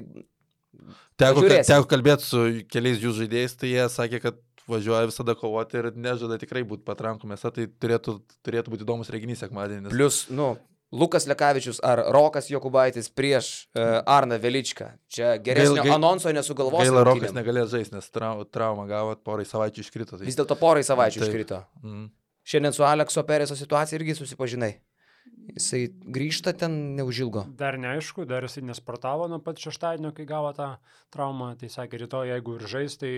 Teko, Pažiūrėsim. teko kalbėti su keliais jų žaidėjais, tai jie sakė, kad važiuoja visada kovoti ir nežada tikrai būti patrankų mėsa, tai turėtų, turėtų būti įdomus reginys sekmadienį. nes- plus, nu, Lukas Lekavičius ar Rokas Jokubaitis prieš uh, Arną Veličką. Čia geresnio Gaila- gai- anonso nesugalvos. Gaila, Rokas rungtynėm. negalėjo žaisti, nes trau, traumą gavo, porai savaičių iškrito. Tai... Vis dėlto porai savaičių Taip. iškrito. Mm. Šiandien su Alekso Pereso situacija irgi susipažinai. Jisai grįžta ten neužilgo. Dar neaišku, dar jisai nesportavo nuo pat šeštadienio, kai gavo tą traumą, tai sakė, rytoj, jeigu ir žais, tai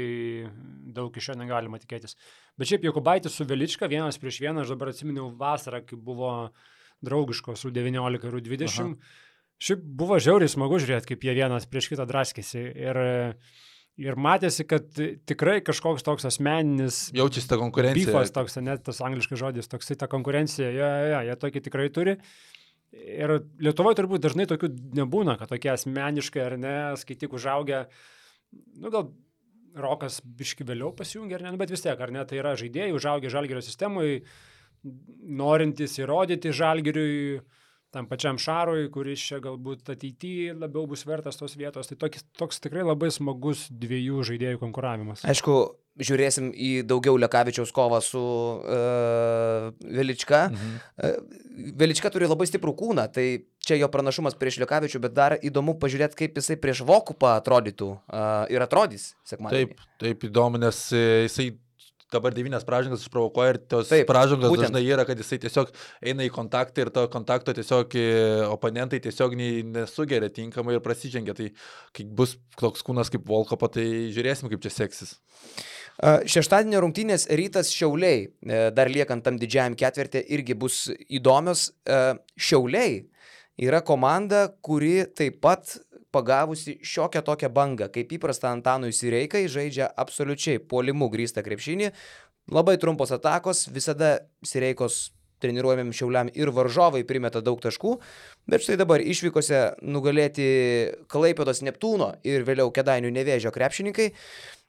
daug iš jo negalima tikėtis. Bet šiaip Jokubaitis su Velička, vienas prieš vieną, aš dabar atsiminiau vasarą, kai buvo draugiškos su devyniolika ir dvidešimt. Šiaip buvo žiauriai smagu žiūrėti, kaip jie vienas prieš kitą draskėsi. Ir, ir matėsi, kad tikrai kažkoks toks asmeninis Jaučiasi ta konkurencija. bifas, toks, net tas angliškas žodis, toksai ta konkurencija, jo, jo, jo, jie tokį tikrai turi. Ir Lietuvoje turbūt dažnai tokių nebūna, kad tokie asmeniškai ar ne, skaityk užaugę, nu gal Rokas biški vėliau pasijungia, ar ne, nu, bet vis tiek, ar ne, tai yra žaidėjai, užaugę Žalgirio sistemoje, norintys įrodyti Žalgiriui, tam pačiam Šarui, kuris čia galbūt ateityje labiau bus vertas tos vietos. Tai toks, toks tikrai labai smagus dviejų žaidėjų konkuravimas. Aišku, žiūrėsim į daugiau Lekavičiaus kovą su uh, Velička. Mhm. Uh, Velička turi labai stiprų kūną, tai čia jo pranašumas prieš Lekavičių, bet dar įdomu pažiūrėti, kaip jisai prieš Vokupą atrodytų uh, ir atrodys sekmadienį. Taip, taip įdomu, nes jisai dabar devynias pražangas išprovokuoja ir tos Taip, pražangos būtent. Dažnai yra, kad jisai tiesiog eina į kontaktą ir to kontakto tiesiog oponentai tiesiog nesugeria tinkamai ir prasižengia. Tai kai bus toks kūnas kaip Volkopo, tai žiūrėsim, kaip čia seksis. Šeštadienio rungtynės Rytas Šiauliai, dar liekant tam didžiajam ketvirtį, irgi bus įdomios. Šiauliai yra komanda, kuri taip pat pagavusi šiokią tokią bangą. Kaip įprasta Antanui Sireikai, žaidžia absoliučiai puolimu grįstą krepšinį. Labai trumpos atakos, visada Sireikos treniruojamiem Šiauliam ir varžovai primeta daug taškų, bet štai dabar išvykose nugalėti Klaipėdos Neptūno ir vėliau Kėdainių Nevėžio krepšininkai.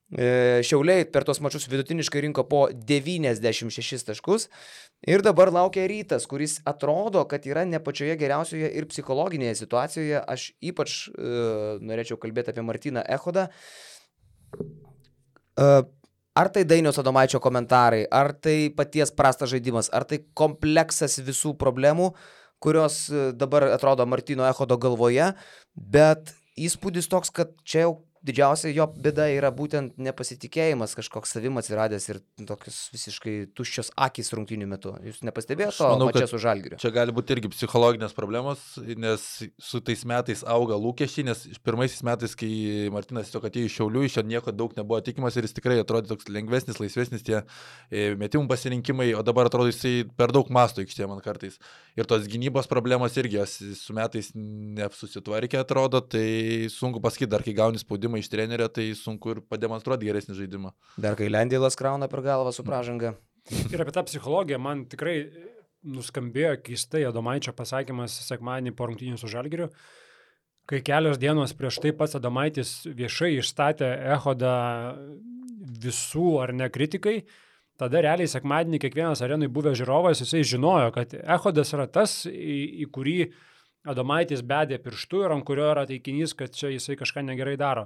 Šiauliai per tos mačus vidutiniškai rinko po devyniasdešimt šešis taškus ir dabar laukia Rytas, kuris atrodo, kad yra ne pačioje geriausioje ir psichologinėje situacijoje. Aš ypač uh, norėčiau kalbėti apie Martyną Echodą. Uh, ar tai Dainiaus Adomaičio komentarai, ar tai paties prastas žaidimas, ar tai kompleksas visų problemų, kurios dabar atrodo Martyno Echodo galvoje, bet įspūdis toks, kad čia jau didžiausia jo bėda yra būtent nepasitikėjimas, kažkoks savim atsiradęs ir tokios visiškai tuščios akys rungtynių metu. Jūs nepastebėjote to mače su Žalgiriu? Čia gali būti irgi psichologinės problemos, nes su tais metais auga lūkesčiai, nes pirmaisiais metais, kai Martynas tiesiog atėjo iš Šiaulių, iš jo nieko daug nebuvo tikimas ir jis tikrai atrodė toks lengvesnis, laisvesnis tie metimų pasirinkimai, o dabar atrodo jisai per daug masto aikštėje man kartais. Ir tos gynybos problemos irgi jos su metais nesusitvarkė, atrodo, tai sunku pasakyti, dar kai gauni spaudimą iš trenerio, tai sunku ir pademonstruoti geresnį žaidimą. Dar kai Lendėlas krauna per galvą su pražanga. Ir apie tą psichologiją man tikrai nuskambėjo keistai Adomaičio pasakymas sekmadienį po rungtynių su Žalgiriu, kai kelios dienos prieš tai pats Adomaitis viešai išstatė Echodą visų ar ne kritikai. Tada realiai sekmadienį kiekvienas arenui buvęs žiūrovas, jisai žinojo, kad Echodas yra tas, į, į kurį Adomaitis bedė pirštu ir ant kurio yra taikinys, kad čia jisai kažką negerai daro.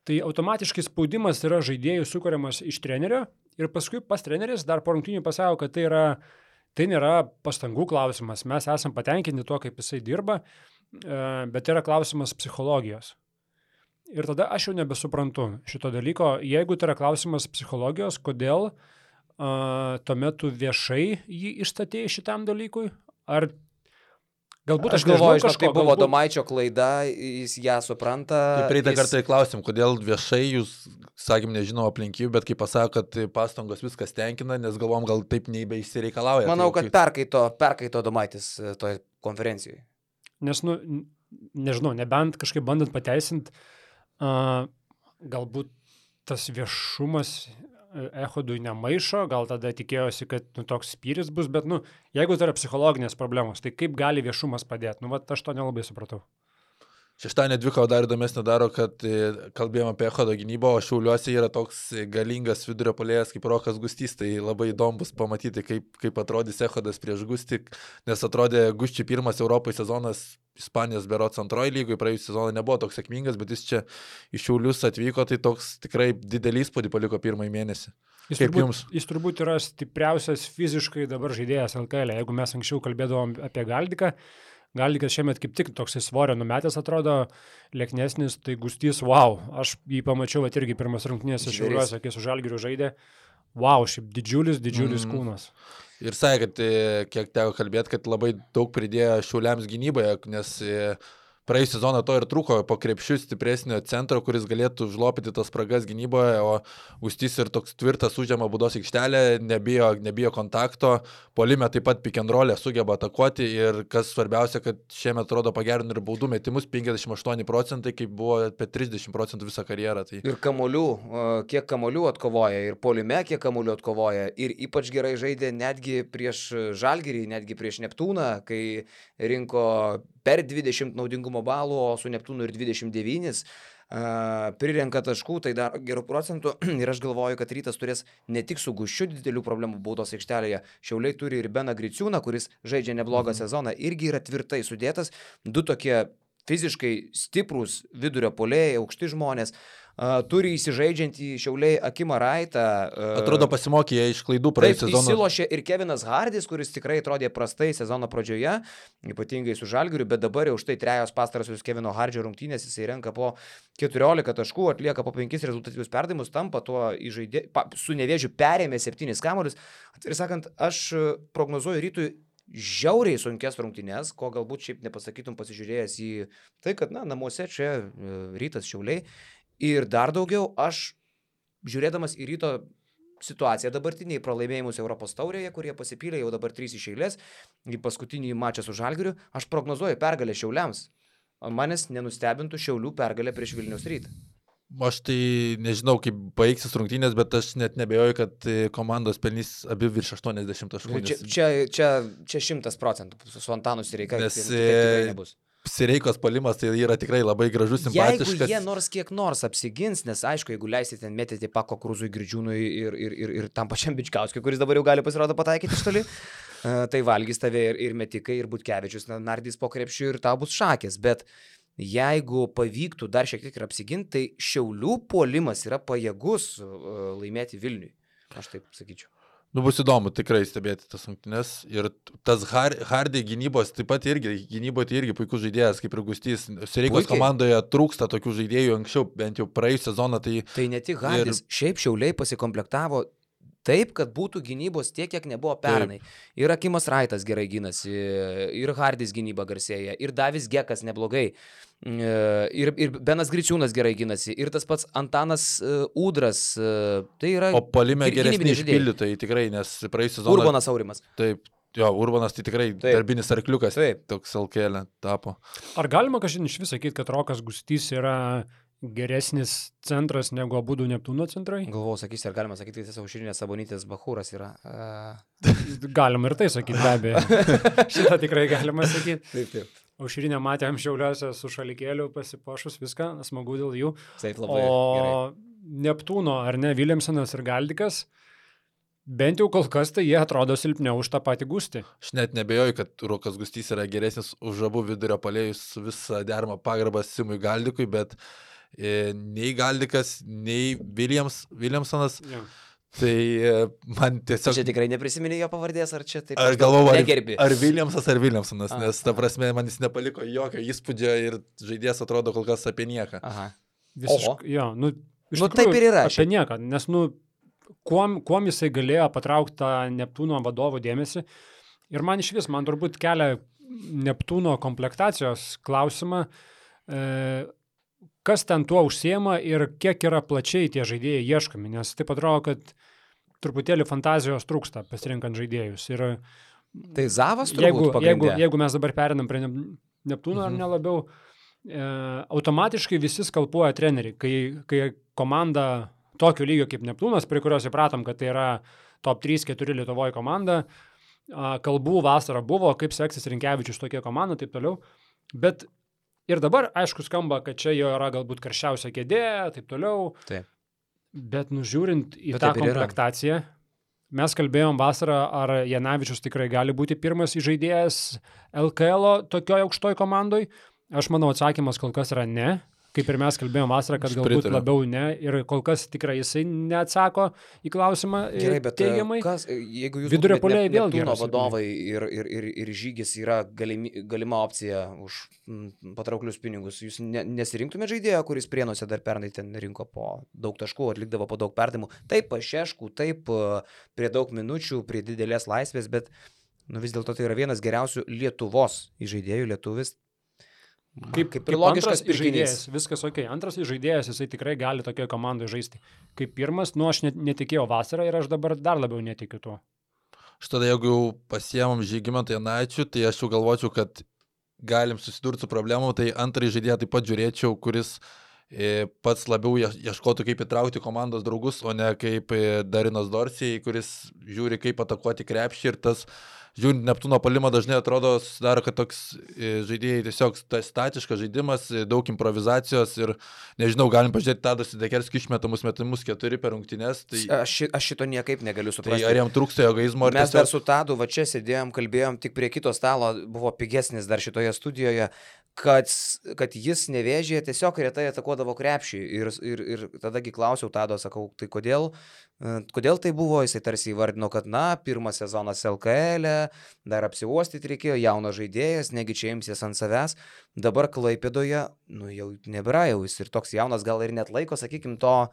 Tai automatiškai spaudimas yra žaidėjų sukuriamas iš trenerio ir paskui pas treneris dar po rungtynių pasako, kad tai, yra, tai nėra pastangų klausimas. Mes esam patenkinti tuo, kaip jisai dirba, bet tai yra klausimas psichologijos. Ir tada aš jau nebesuprantu šito dalyko. Jeigu tai yra klausimas psichologijos, kodėl uh, tuomet tu viešai jį išstatėjai šitam dalykui? Ar galbūt aš, aš galvoju, žinau, tai buvo galbūt... Adomaičio klaida, jis ją supranta. Tai praeitą jis... kartą klausim, kodėl viešai jūs, sakym, nežinau aplinkybių, bet kai pasako, kad pastangos viskas tenkina, nes galvom, gal taip nebeišsireikalauja. Manau, tai, kad perkaito, perkaito Adomaitis toje konferencijoje. Nes, nu, nežinau, nebent kažkaip bandant pateisinti, uh, galbūt tas viešumas Echodui nemaišo, gal tada tikėjosi, kad nu, toks spyris bus, bet nu, jeigu tai yra psichologinės problemos, tai kaip gali viešumas padėti? Nu, va, aš to nelabai supratau. Šeštadienio dvikova dar įdomesnė daro, kad kalbėjom apie Echodo gynybą, o Šiauliuose yra toks galingas vidurio puolėjas kaip Rokas Gustys, tai labai įdomu bus pamatyti, kaip, kaip atrodys Echodas prieš Gustį, nes atrodė Gusčiui pirmas Europoje sezonas Ispanijos berods antroji lygoje, praėjusį sezoną nebuvo toks sėkmingas, bet jis čia iš Šiaulius atvyko, tai toks tikrai didelį įspūdį paliko pirmąjį mėnesį. Jis kaip turbūt, jums? Jis turbūt yra stipriausias fiziškai dabar žaidėjas L K L. Jeigu mes anksčiau kalbėdavom apie Galdiką, Galdikas šiemet kaip tik toks svorio numetęs atrodo, lieknesnis, tai Gustys, wow, aš jį pamačiau, at irgi pirmas rungtynėse Šiauliuose, kai su Žalgiriu žaidė, wow, šiaip didžiulis, didžiulis mm. kūnas. Ir sakė, kad kiek teko kalbėti, kad labai daug pridėjo Šiauliams gynyboje, nes praėjusią sezoną to ir trūko po krepšių stipresnio centro, kuris galėtų užlopyti tas spragas gynyboje, o Gustys ir toks tvirtas užėma baudos aikštelę, nebijo, nebijo kontakto, puolime taip pat pick and roll'e sugeba atakuoti ir kas svarbiausia, kad šiemet atrodo pagerino ir baudų metimus penkiasdešimt aštuoni procentai, kaip buvo apie trisdešimt procentų visą karjerą. Tai... Ir kamuolių, kiek kamuolių atkovoja, ir puolime kiek kamuolių atkovoja, ir ypač gerai žaidė netgi prieš Žalgirį, netgi prieš Neptūną, kai rinko per dvidešimt naudingumo balų, o su Neptūnu ir dvidešimt devyni. Uh, prirenka taškų, tai dar gerų procentų ir aš galvoju, kad Rytas turės ne tik su Guščiu didelių problemų baudos aikštelėje, Šiauliai turi ir Beną Griciūną, kuris žaidžia neblogą mhm. sezoną, irgi yra tvirtai sudėtas, du tokie fiziškai stiprūs vidurio puolėjai, aukšti žmonės, uh, turi įsižaidžiantį Šiauliai Akimą Raitą. Uh, Atrodo pasimokė iš klaidų praėjusio sezono. Taip, įsilošė ir Kevinas Hardis, kuris tikrai atrodė prastai sezono pradžioje, ypatingai su Žalgiriu, bet dabar jau štai trejos pastarosios Kevino Hardžio rungtynės, jisai renka po keturiolika taškų, atlieka po penkis rezultatyvius perdavimus, tampa tuo įžaidė, pa, su Nevėžiu perėmė septynis kamuolius. Atvirai sakant, aš prognozuoju Rytui žiauriai sunkes rungtynės, ko galbūt šiaip nepasakytum pasižiūrėjęs į tai, kad na, namuose čia Rytas Šiauliai. Ir dar daugiau, aš žiūrėdamas į Ryto situaciją dabartiniai pralaimėjimus Europos taurėje, kurie pasipylė jau dabar trys iš eilės, į paskutinį mačą su Žalgiriu, aš prognozuoju pergalę Šiauliams. Manęs nenustebintų Šiaulių pergalę prieš Vilniaus Rytą. Aš tai nežinau, kaip baigsis rungtynės, bet aš net nebejoju, kad komandos pelnys abi virš aštuoniasdešimt taškų. Čia, čia, čia, čia šimtas procentų su Antanu Sireika. Nes Sireikos puolimas tai yra tikrai labai gražus, simpatiškas. Jeigu jie nors kiek nors apsigins, nes aišku, jeigu leisite ten mėtyti Pako Krūzui, Girdžiūnui ir, ir, ir, ir tam pačiam Bičkauskiui, kuris dabar jau gali pasirodo pataikyti iš toli, tai valgys tave ir, ir Metikai, ir Butkevičius, nardys po krepšių ir tau bus šakės. Bet jeigu pavyktų dar šiek tiek ir apsiginti, tai Šiaulių puolimas yra pajėgus laimėti Vilniui. Aš taip sakyčiau. Nu, bus įdomu tikrai stebėti tas rungtynes. Ir tas Hardy gynybos, taip pat irgi, gynyboje tai irgi puikus žaidėjas, kaip ir Gustys. Sireikos komandoje trūksta tokių žaidėjų anksčiau, bent jau praėjusią sezoną. Tai, tai ne tik Hardys, ir... šiaip Šiauliai pasikomplektavo taip, kad būtų gynybos tiek, kiek nebuvo pernai. Taip. Ir Akimas Raitas gerai gynasi, ir Hardys gynyba garsėja, ir Davis Gekas neblogai, ir, ir Benas Griciūnas gerai gynasi, ir tas pats Antanas Udras. Tai yra o puolime geresni išpildytojai tikrai, nes praėjusią sezoną... Urbanas Aurimas. Taip. Jo, Urbanas tai tikrai taip. Darbinis arkliukas, taip. Toks Alkėlė tapo. Ar galima kažkaip iš vis sakyti, kad Rokas Gustys yra geresnis centras negu abudu Neptūno centrai? Galvau, sakysi, ar galima sakyti, kad Aušrinės Sabonytės Bachūras yra. Uh... Galima ir tai sakyti, be abejo. Šitą tikrai galima sakyti. Taip, taip. Aušrinę matėm Šiauliuose su šalikėliu pasipuošus, viską, smagu dėl jų. Taip, labai o gerai. Neptūno, ar ne, Williamsonas ir Galdikas, bent jau kol kas tai jie atrodo silpniau už tą patį Gustį. Aš net nebejoju, kad Rokas Gustys yra geresnis už abu vidurio puolėjus su visą deramą pagarbą Simui Galdikui, bet e, nei Galdikas, nei Williams, Williamsonas, ja. Tai e, man tiesiog... Čia tikrai neprisiminė jo pavardės, ar čia taip? Aš galvoju, ar, negerbi. ar Williamsas, ar Williamsonas, a, nes ta prasme man jis nepaliko jokio įspūdžio ir žaidėjas atrodo kol kas apie nieką. Aha. Visiškai, jo, nu, iš nu tikrųjų, taip ir yra. Apie nieką, nes, nu, kuom, kuom jisai galėjo patraukti tą Neptūno vadovo dėmesį. Ir man iš vis, man turbūt kelia Neptūno komplektacijos klausimą, e, kas ten tuo užsiema ir kiek yra plačiai tie žaidėjai ieškami, nes taip atrodo, kad truputėlį fantazijos trūksta pasirinkant žaidėjus. Ir tai Zavas turbūt jeigu, pagrindė. Jeigu, jeigu mes dabar perinam prie Neptūno, mhm. ar nelabiau, e, automatiškai visi skalpuoja treneriai, kai, kai komanda tokio lygio kaip Neptūnas, prie kurios įpratom, kad tai yra top trys keturi Lietuvoje komanda, kalbų vasarą buvo, kaip seksis Rinkevičius tokia komanda, taip toliau, bet ir dabar, aišku, skamba, kad čia jo yra galbūt karščiausia kėdė, taip toliau, taip. Bet nužiūrint į bet tą komplektaciją, mes kalbėjom vasarą, ar Janavičius tikrai gali būti pirmas žaidėjas L K L tokioje aukštoj komandoj. Aš manau, atsakymas kol kas yra ne. Kaip ir mes kalbėjom vasarą, kad galbūt labiau ne, ir kol kas tikrai jisai neatsako į klausimą gerai, bet teigiamai. Kas, jeigu jūs vidurio puolėjai vėl Neptūno vadovai ir, ir, ir, ir Žygis yra galimi, galima opcija už m, patrauklius pinigus, jūs ne, nesirinktumėte žaidėją, kuris Prienuose dar pernai ten rinko po daug taškų, atlikdavo po daug perdimų, taip pašeškų, taip prie daug minučių, prie didelės laisvės, bet nu, vis dėlto tai yra vienas geriausių Lietuvos žaidėjų, lietuvis. Kaip, kaip, kaip logiškas žaidėjas, viskas ok. Antras žaidėjas, jisai tikrai gali tokioje komandoje žaisti. Kaip pirmas, nu aš net, netikėjau vasarą ir aš dabar dar labiau netikiu tuo. Štai jeigu jau pasiemam Žygimantą Janaičių, tai aš jau galvočiau, kad galim susidurti su problemu, tai antrąjį žaidėją taip pat žiūrėčiau, kuris e, pats labiau ieškotų, kaip įtraukti komandos draugus, o ne kaip e, Darinas Dorsijai, kuris žiūri, kaip atakuoti krepšį ir tas žiūrint Neptūno puolimą dažnai atrodo, sudaro, kad toks žaidėjai tiesiog statiškas žaidimas, daug improvizacijos ir, nežinau, galim pažiūrėti Tadas Sidekerskį išmetamus metimus keturi per rungtynes. Tai, aš, aš šito niekaip negaliu suprasti. Tai ar jam trūksta egoizmo? Mes tiesiog... dar su Tadu va čia sėdėjom, kalbėjom, tik prie kito stalo buvo pigesnis dar šitoje studijoje, kad, kad jis Nevėžyje tiesiog retai atakuodavo krepšį ir, ir, ir tadagi klausiau Tado, sakau, tai kodėl, kodėl tai buvo, jisai tarsi įvardino, kad na, pirmas sezonas L K L, dar apsiuostyti reikėjo, jaunas žaidėjas, negi čia imsies ant savęs, dabar Klaipėdoje, nu jau nebėra jau, jis ir toks jaunas gal ir net laiko, sakykim, to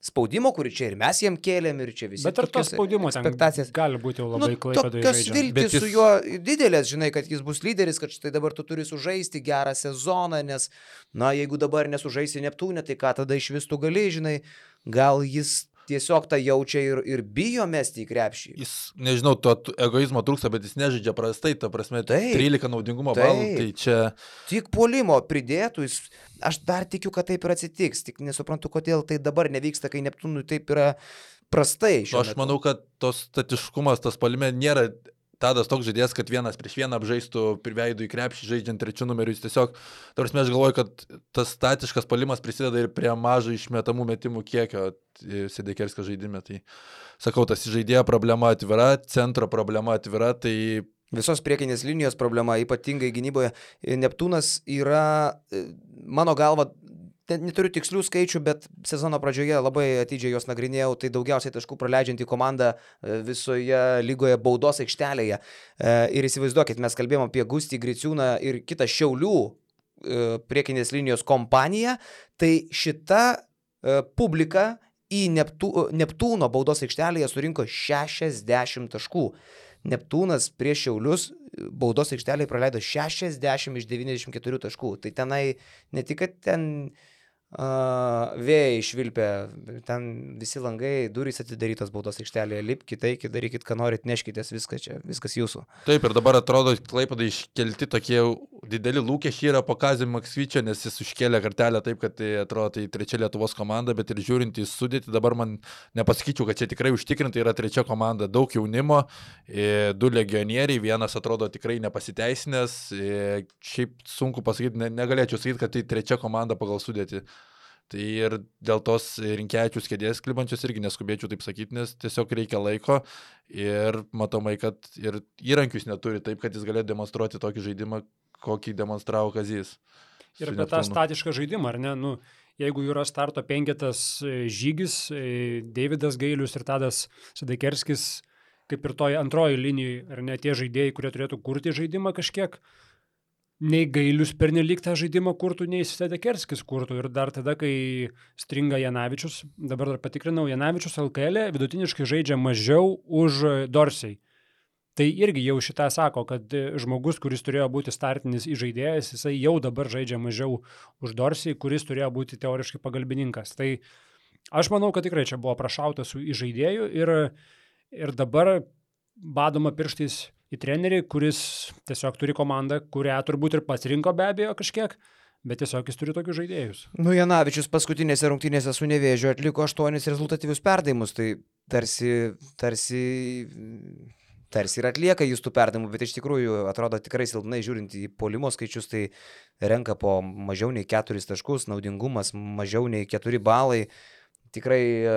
spaudimo, kurį čia ir mes jiem kėlėm ir čia visi. Bet ar to spaudimo ten gali būti jau labai nu, Klaipėdoje žaidžiant? Tokios viltis jis... su juo didelės, žinai, kad jis bus lyderis, kad štai dabar tu turi sužaisti gerą sezoną, nes, na, jeigu dabar nesužaisi Neptūne, tai ką tada iš vis tu gali, žinai, gal jis tiesiog tą jaučia ir, ir bijo mesti į krepšį. Jis, nežinau, to egoizmo trūksta, bet jis nežaidžia prastai, ta prasme, taip, trylika naudingumo balų, tai čia... Tik puolimo pridėtų, jis, aš dar tikiu, kad taip ir atsitiks, tik nesuprantu, kodėl tai dabar nevyksta, kai Neptūnui taip yra prastai. Nu, aš manau, kad tos statiškumas, tas puolime nėra... Tadas toks žaidėjas, kad vienas prieš vieną apžaistų veidų į krepšį, žaidžiant trečių numerių, jis tiesiog, tarsi aš galvoju, kad tas statiškas puolimas prisideda ir prie mažo išmetamų metimų kiekio Sidekerskio žaidime. Tai sakau, tas žaidėjo problema atvira, centro problema atvira, tai... Visos priekinės linijos problema, ypatingai gynyboje. Neptūnas yra, mano galva, neturiu tikslių skaičių, bet sezono pradžioje labai atidžiai juos nagrinėjau, tai daugiausiai taškų praleidžianti komanda visoje lygoje baudos aikštelėje. Ir įsivaizduokit, mes kalbėjom apie Gustį Griciūną ir kitą Šiaulių priekinės linijos kompaniją, tai šita publika į Neptū, Neptūno baudos aikštelėje surinko šešiasdešimt taškų. Neptūnas prieš Šiaulius baudos aikštelėje praleido šešiasdešimt iš devyniasdešimt keturių taškų. Tai tenai ne tik, kad ten Uh, vėjai išvilpė, ten visi langai, durys atidarytos baudos aikštelėje, lipkite, eikite, darykit, ką norit, neškitės, viskas čia, viskas jūsų. Taip, ir dabar atrodo, Klaipėdai iškelti tokie dideli lūkesčiai yra po Kazio Maksvyčio, nes jis užkėlė kartelę taip, kad tai atrodo tai trečia Lietuvos komanda, bet ir žiūrint į sudėtį, dabar man nepasakyčiau, kad čia tikrai užtikrintai yra trečia komanda, daug jaunimo, du legionieriai, vienas atrodo tikrai nepasiteisinęs, šiaip sunku pasakyti, negalėčiau sakyti, kad tai trečia komanda pagal sudėtį. Tai ir dėl tos Rinkevičiaus kėdės klibančios irgi neskubėčiau taip sakyti, nes tiesiog reikia laiko ir matomai, kad ir įrankius neturi taip, kad jis galėtų demonstruoti tokį žaidimą, kokį demonstravo Kazys. Ir apie tą statišką žaidimą, ar ne? Nu, jeigu yra starto penketas Žygis, Deividas Gailius ir Tadas Sidekerskis, kaip ir toj antroji linijai, ar ne tie žaidėjai, kurie turėtų kurti žaidimą kažkiek, nei Gailius pernelyg tą žaidimą kurtų, nei Sidekerskis kurtų. Ir dar tada, kai stringa Janavičius, dabar dar patikrinau, Janavičius L K L vidutiniškai žaidžia mažiau už Dorsiai. Tai irgi jau šitą sako, kad žmogus, kuris turėjo būti startinis žaidėjas, jisai jau dabar žaidžia mažiau už Dorsiai, kuris turėjo būti teoriškai pagalbininkas. Tai aš manau, kad tikrai čia buvo prašauta su žaidėju ir, ir dabar badoma pirštais į trenerį, kuris tiesiog turi komandą, kurią turbūt ir pats rinko be abejo kažkiek, bet tiesiog jis turi tokius žaidėjus. Nu, Janavičius paskutinėse rungtynėse su Nevėžiu atliko aštuonis rezultatyvius perdavimus, tai tarsi, tarsi, tarsi ir atlieka jis tų perdavimų, bet iš tikrųjų atrodo tikrai silpnai žiūrint į puolimo skaičius, tai renka po mažiau nei keturis taškus, naudingumas mažiau nei keturi balai. Tikrai,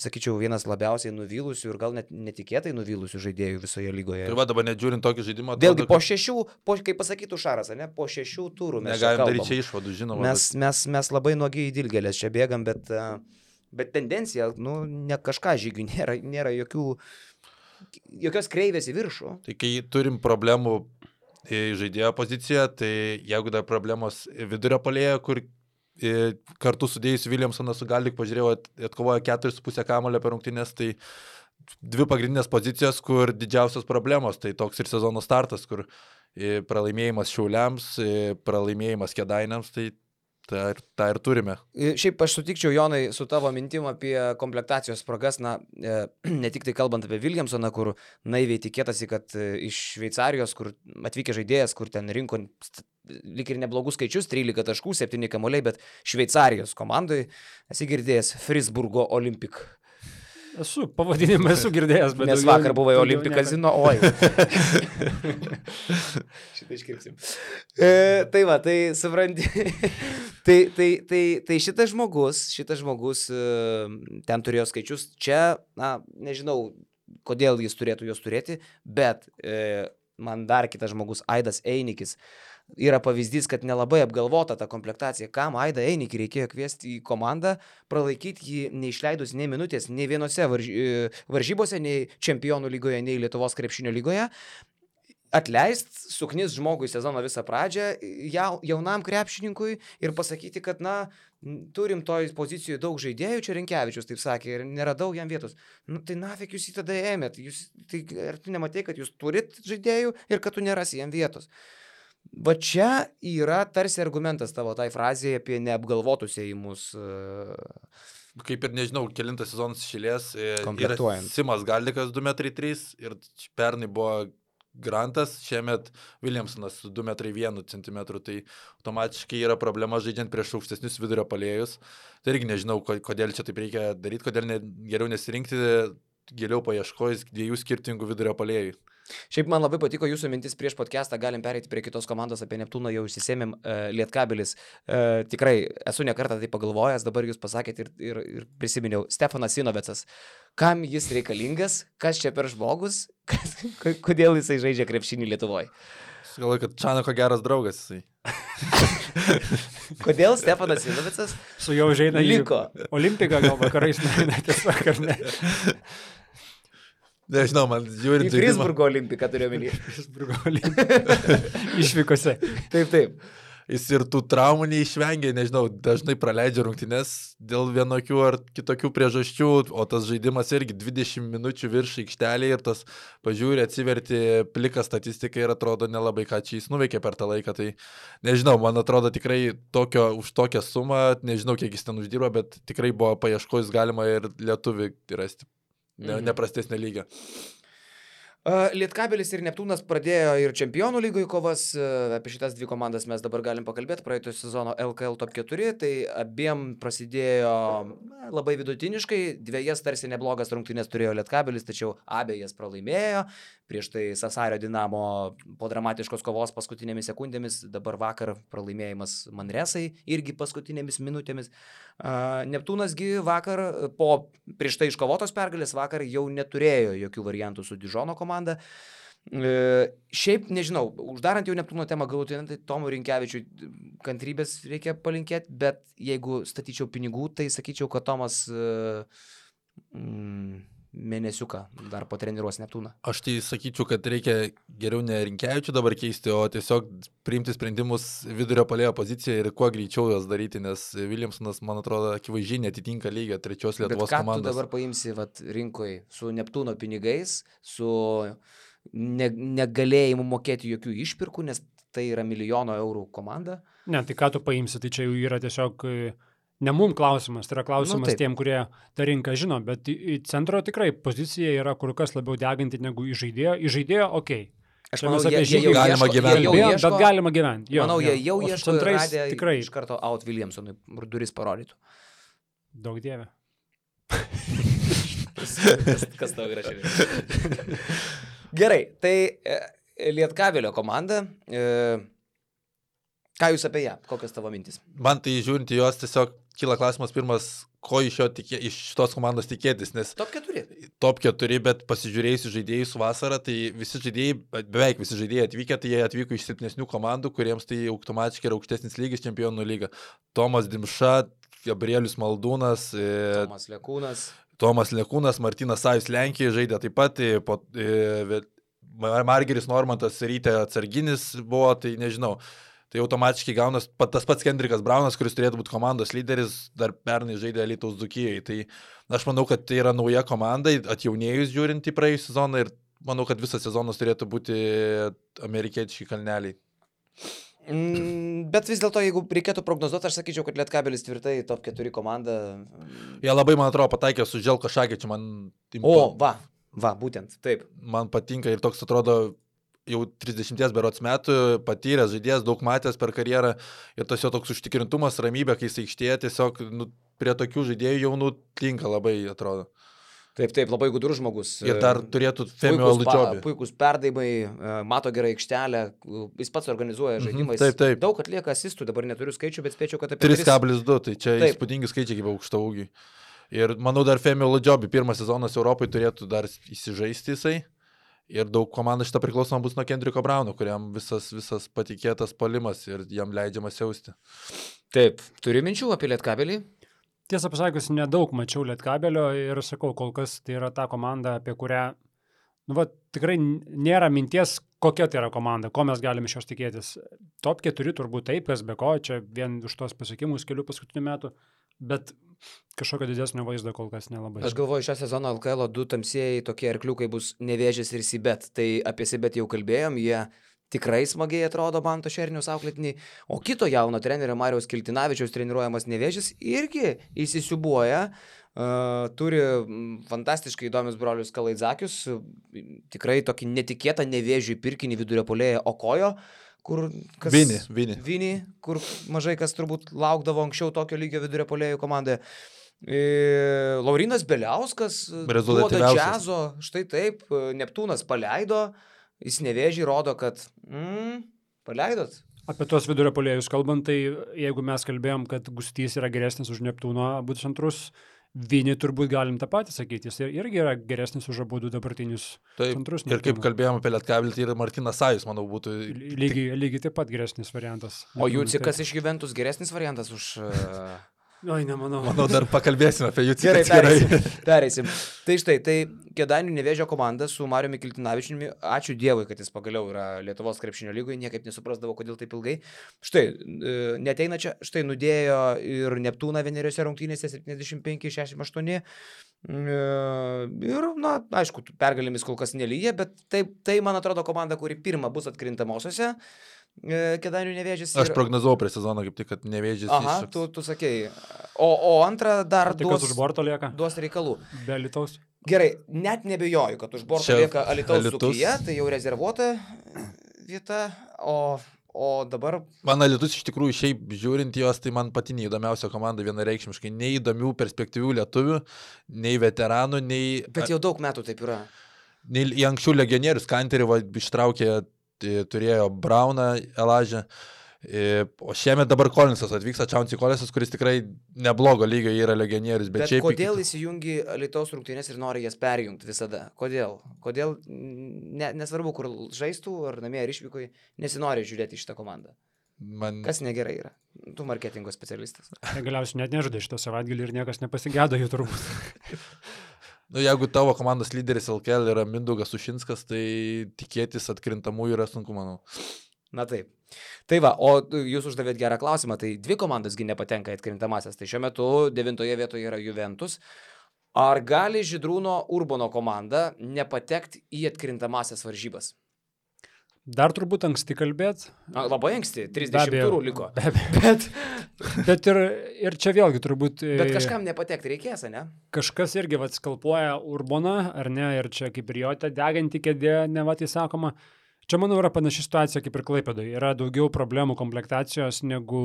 sakyčiau, vienas labiausiai nuvylusių ir gal net netikėtai nuvylusių žaidėjų visoje lygoje. Tai va, dabar net žiūrint tokį žaidimą... Vėlgi, po šešių, po, kaip pasakytų Šaras, ne, po šešių turų mes negalim daryti čia išvadų, žinoma. Mes, bet... mes, mes labai nuogiai į dilgėlės čia bėgam, bet, bet tendencija, nu, ne kažką Žygių, nėra, nėra jokių, jokios kreivės į viršų. Tai kai turim problemų žaidėjo poziciją, tai jeigu dar problemos vidurio puolėjo, kur kartu sudėjus Williamsoną su Galik, pažiūrėjau, atkovojo keturis su pusę kamulio per rungtynes, tai dvi pagrindinės pozicijos, kur didžiausios problemos, tai toks ir sezono startas, kur pralaimėjimas Šiauliams, pralaimėjimas Kėdainiams, tai tą ir, tą ir turime. Šiaip aš sutikčiau, Jonai, su tavo mintim apie komplektacijos spragas, na, ne tik tai kalbant apie Williamsoną, kur naiviai tikėtasi, kad iš Šveicarijos, kur atvykę žaidėjas, kur ten rinko lyg ir neblogus skaičius, trylika taškų, septyni kamuoliai, bet Šveicarijos komandai esi girdėjęs Frisburgo Olimpik. Esu, pavadinimą esu girdėjęs, bet... Nes vakar buvai Olimpik kazino, oi. Šitą iškirpsim. E, tai va, tai supranti, tai, tai, tai, tai šitas žmogus, šitas žmogus ten turėjo skaičius, čia, na, nežinau, kodėl jis turėtų juos turėti, bet e, man dar kitas žmogus, Aidas Einikis, yra pavyzdys, kad nelabai apgalvota ta komplektacija. Kam Aidą Einikį reikėjo kviesti į komandą, pralaikyti jį neišleidus nei minutės, nei vienose varž... varžybose, nei čempionų lygoje, nei Lietuvos krepšinio lygoje. Atleist, suknis žmogui sezono visą pradžią, jaunam krepšininkui ir pasakyti, kad, na, turim toj pozicijoje daug žaidėjų, čia Rinkevičius taip sakė, ir neradau jam vietos. Nu, tai nafik jūs jį tada ėmėt. Jūs, tai, ar tu nematai, kad jūs turit žaidėjų ir kad tu nerasi jam vietos? Va čia yra tarsi argumentas tavo tai frazėje apie neapgalvotus ėjimus. Kaip ir nežinau, kelintas sezonas išėlės. Komplektuojant. Simas Galdikas du metrai trys ir pernai buvo Grantas, šiemet Williamsonas du metrai vienas centimetrų. Tai automatiškai yra problema žaidžiant prieš aukštesnius vidurio puolėjus. Tai irgi nežinau, kodėl čia taip reikia daryti, kodėl ne, geriau nesirinkti, geriau paieškojus dviejų skirtingų vidurio puolėjų. Šiaip man labai patiko jūsų mintis prieš podcastą, galim pereiti prie kitos komandos, apie Neptūną jau išsisėmėm, uh, Lietkabelis. Uh, tikrai esu nekartą tai pagalvojęs, dabar jūs pasakėt ir, ir, ir prisiminiau. Stefanas Sinovecas. Kam jis reikalingas, kas čia per žmogus, kas, kodėl jisai žaidžia krepšinį Lietuvoje? Galvoju, kad Čanako geras draugas jisai. Kodėl Stefanas Sinovecas su jau žaidė liko? Olimpiką gal vakarais, ne, tiesiog ar ne? Nežinau, man žiūrint... Į Frisburgo Olimpiką turiu omeny. Frisburgo Olimpiką. Išvykose. Taip, taip. Jis ir tų traumų neišvengia, nežinau, dažnai praleidžia rungtynes dėl vienokių ar kitokių priežasčių, o tas žaidimas irgi dvidešimt minučių virš aikštelėje ir tas pažiūrė, atsiverti pliką statistiką ir atrodo nelabai ką čia jis nuveikė per tą laiką. Tai nežinau, man atrodo tikrai tokio, už tokią sumą, nežinau kiek jis ten uždirba, bet tikrai buvo paieškojus galima ir lietuvį rasti. Ne, mhm. Neprastesnė lyga. Lietkabelis ir Neptūnas pradėjo ir čempionų lygoje kovas, apie šitas dvi komandas mes dabar galim pakalbėti, praeito sezono L K L top keturi, tai abiem prasidėjo na, labai vidutiniškai, dviejas tarsi neblogas rungtynės turėjo Lietkabelis, tačiau abejas pralaimėjo, prieš tai Sasario Dinamo po dramatiškos kovos paskutinėmis sekundėmis, dabar vakar pralaimėjimas Manresai irgi paskutinėmis minutėmis. Neptūnasgi vakar po prieš tai iškovotos pergalės vakar jau neturėjo jokių variantų su Dižono komanda. E, šiaip, nežinau, uždarant jau Neptūno temą galutinai, tai Tomui Rinkevičiui kantrybės reikia palinkėti, bet jeigu statyčiau pinigų, tai sakyčiau, kad Tomas e, mm, mėnesiuką dar patreniruos Neptūną. Aš tai sakyčiau, kad reikia geriau ne Rinkevičių dabar keisti, o tiesiog priimti sprendimus vidurio puolėjo pozicijoje ir kuo greičiau juos daryti, nes Williamsonas, man atrodo, akivaizdžiai netitinka lygio trečios Lietuvos komandos. Bet ką tu dabar paimsi vat, rinkoje su Neptūno pinigais, su ne, negalėjimu mokėti jokių išpirkų, nes tai yra milijono eurų komanda? Ne, tai ką tu paimsi, tai čia jau yra tiesiog... Ne mum klausimas, tai yra klausimas nu, tiem, kurie tą rinką žino, bet į, į centro tikrai pozicija yra kur kas labiau deganti negu į žaidėjo. Į žaidėjo, okei. Okay. Aš manau, jie, jie jau galima ieško, gyventi. Jie jau ieško, bet galima gyventi. Jo, manau, jo. jie jau o ieško ir radė tikrai iš karto out Williamsonui duris parodytų. Daug dievė. kas, kas tau yra šiandien? Gerai, tai e, Lietkabelio komanda... E, Ką jūs apie ją? Kokios tavo mintis? Man tai žiūrint į jos tiesiog kyla klausimas pirmas, ko iš, tikė, iš šitos komandos tikėtis, nes... Top keturi. Top keturi, bet pasižiūrėjus žaidėjus vasarą, tai visi žaidėjai, beveik visi žaidėjai atvykę, tai jie atvyko iš silpnesnių komandų, kuriems tai automatiškai yra aukštesnis lygis čempionų lyga. Tomas Dimša, Gabrielius Maldūnas, Tomas Lekūnas. Tomas Lekūnas, Martynas Sajus Lenkijoje žaidė taip pat, po, e, Margeris Normantas Rytė atsarginis buvo, tai nežinau. Tai automatiškai gaunas tas pats Kendrikas Braunas, kuris turėtų būti komandos lyderis, dar pernai žaidė Alytaus Dzūkijai. Tai aš manau, kad tai yra nauja komanda, atjaunėjus žiūrint į praėjusią sezoną ir manau, kad visas sezonas turėtų būti amerikietiški kalneliai. Mm, bet vis dėlto, jeigu reikėtų prognozuoti, aš sakyčiau, kad Lietkabelis tvirtai top keturi komanda. Jie labai, man atrodo, pataikė su Želko Šakičiu. Man... O, va, va, būtent, taip. Man patinka ir toks atrodo... jau trisdešimties berods metų, patyręs žaidėjas, daug matęs per karjerą ir tas jo toks užtikrintumas, ramybė, kai jis aikštėje, tiesiog nu, prie tokių žaidėjų jaunų tinka labai, atrodo. Taip, taip, labai gudrus žmogus. Ir dar turėtų Femio Ludžobį. Puikus perdavimai, mato gerai aikštelę, jis pats organizuoja žaidimais. Taip, taip. Daug atlieka asistų, dabar neturiu skaičių, bet spėčiau, kad apie trys kablelis du, tai čia taip. Įspūdingi skaičiai kaip aukšto ūgiai. Ir manau dar Femio Ludžobį pirmas sezonas Europai turėtų dar įsižaisti jisai. Ir daug komandų šitą priklausomą bus nuo Kendriko Brauno, kuriam visas, visas patikėtas palimas ir jam leidžiamas jausti. Taip, turi minčių apie Lietkabelį? Tiesą pasakius, nedaug mačiau Lietkabelio ir sakau, kol kas tai yra ta komanda, apie kurią, nu, va, tikrai nėra minties, kokia tai yra komanda, ko mes galime iš jos tikėtis. Top keturi turbūt taip, kas be ko, čia vien už tos pasiekimus kelių paskutinių metų, bet kažkokio didesnio vaizdo kol kas nelabai. Aš galvoju, šią sezoną L K L du tamsieji tokie arkliukai bus Nevėžis ir Sibet, tai apie Sibet jau kalbėjom, jie tikrai smagiai atrodo Manto Šerniaus auklėtiniai, o kito jauno trenerio Mariaus Kiltinavičiaus treniruojamas Nevėžis irgi įsisiubuoja, uh, turi fantastiškai įdomius brolius Kalaidzakius, tikrai tokį netikėtą Nevėžių pirkinį vidurio puolėją Okojo, kur kas... Vini, Vini. Vini, kur mažai kas turbūt laukdavo anksčiau tokio lygio vidurio puolėjų komandoje. E, Laurinas Beliauskas duoda džiazo, štai taip, Neptūnas paleido, jis Nevėžį rodo, kad mm, paleidot. Apie tuos vidurio puolėjus kalbant, tai jeigu mes kalbėjom, kad Gustys yra geresnis už Neptūno abu centrus, Vini turbūt galim tą patį sakyti, jis irgi yra geresnis už abu dabartinius taip, centrus. Ir kaip kalbėjom apie Lietkabelį, tai ir Martynas Sajus, manau, būtų... Lygiai, lygiai taip pat geresnis variantas. O Jucikas iš Juventus geresnis variantas už... Oi, nemanau. Manau, dar pakalbėsime apie jų Gerai, pereisim. pereisim. Tai štai, tai Kėdainių Nevėžio komanda su Mariumi Kiltinavičiumi, ačiū Dievui, kad jis pagaliau yra Lietuvos krepšinio lygoje, niekaip nesuprasdavo, kodėl taip ilgai. Štai, neteina čia, štai nudėjo ir Neptūną vieneriose rungtynėse septyniasdešimt penki šešiasdešimt aštuoni. Ir, na, aišku, pergalėmis kol kas nelyja, bet tai, tai, man atrodo, komanda, kuri pirma bus atkrintamosiose. Kėdainių Nevėžis. Ir... Aš prognozavau prie sezono kaip tik, kad Nevėžis. Aha, iššoks. tu, tu sakei. O, o antrą dar tai, duos, už borto lieka. duos reikalų. Be Alytaus. Gerai, net nebejoju, kad už borto Čia lieka Alytaus Alytus. Dzūkija, tai jau rezervuota vieta, o, o dabar... Man Alytus iš tikrųjų šiaip žiūrint jos, tai man pati neįdomiausia komanda vienareikšmiškai. Nei įdomių perspektyvių lietuvių, nei veteranų, nei... Bet jau daug metų taip yra. Nei į anksčiau legionierius Kanterį va, ištraukė, turėjo Brauną, Elažę. O šiemet dabar Kolinsas atvyksta, Čaunsy Kolinsas, kuris tikrai neblogo lygio yra legionierius. Bet, bet šiaip... kodėl įsijungi Alytaus rungtynės ir nori jas perjungti visada? Kodėl? Kodėl, ne, nesvarbu, kur žaistų, ar namie, ar išvykoje, nesinori žiūrėti šitą komandą? Man... Kas negerai yra? Tu marketingo specialistas. Tai galiausiai net nežaidai šitą savaitgalį ir niekas nepasigėdo jų turbūt. Nu, jeigu tavo komandos lyderis L K L yra Mindaugas Sušinskas, tai tikėtis atkrintamųjų yra sunku, manau. Na taip. Tai va, o jūs uždavėt gerą klausimą, tai dvi komandasgi nepatenka į atkrintamasias. Tai šiuo metu devintoje vietoje yra Juventus. Ar gali Žydrūno Urbono komanda nepatekti į atkrintamasias varžybas? Dar turbūt anksti kalbėt. Na, labai anksti, trisdešimt turų liko. Be abejo. Bet, bet ir, ir čia vėlgi turbūt... Bet kažkam nepatekti reikės, ne? Kažkas irgi vat skalpuoja Urboną, ar ne, ir čia kaip ir jo ta deganti kėdė, ne va tai sakoma. Čia, manau, yra panaši situacija kaip ir Klaipėdoje. Yra daugiau problemų komplektacijos negu,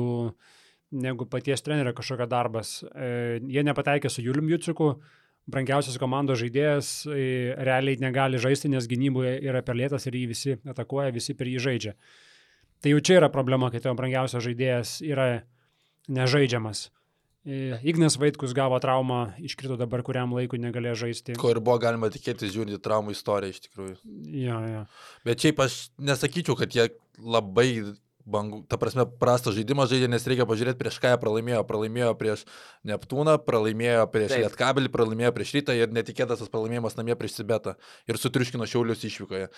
negu paties trenerio kažkokio darbas. E, jie nepateikė su Julium Juciku. Brangiausias komandos žaidėjas realiai negali žaisti, nes gynyboje yra per lėtas ir jį visi atakuoja, visi per jį žaidžia. Tai jau čia yra problema, kai tavo brangiausias žaidėjas yra nežaidžiamas. Ignas Vaitkus gavo traumą, iškrito dabar kuriam laikui negalėjo žaisti. Ko ir buvo galima tikėtis žiūrint į traumų istoriją iš tikrųjų. Jo, jo. Bet šiaip aš nesakyčiau, kad jie labai... Bangų, ta prasme, prastą žaidimą žaidė, nes reikia pažiūrėti, prieš ką jie pralaimėjo. Pralaimėjo prieš Neptūną, pralaimėjo prieš Taip. Lietkabelį, pralaimėjo prieš Rytą ir netikėtas tas pralaimėjimas namie prieš Sibetą. Ir sutriuškino Šiaulius išvykoje.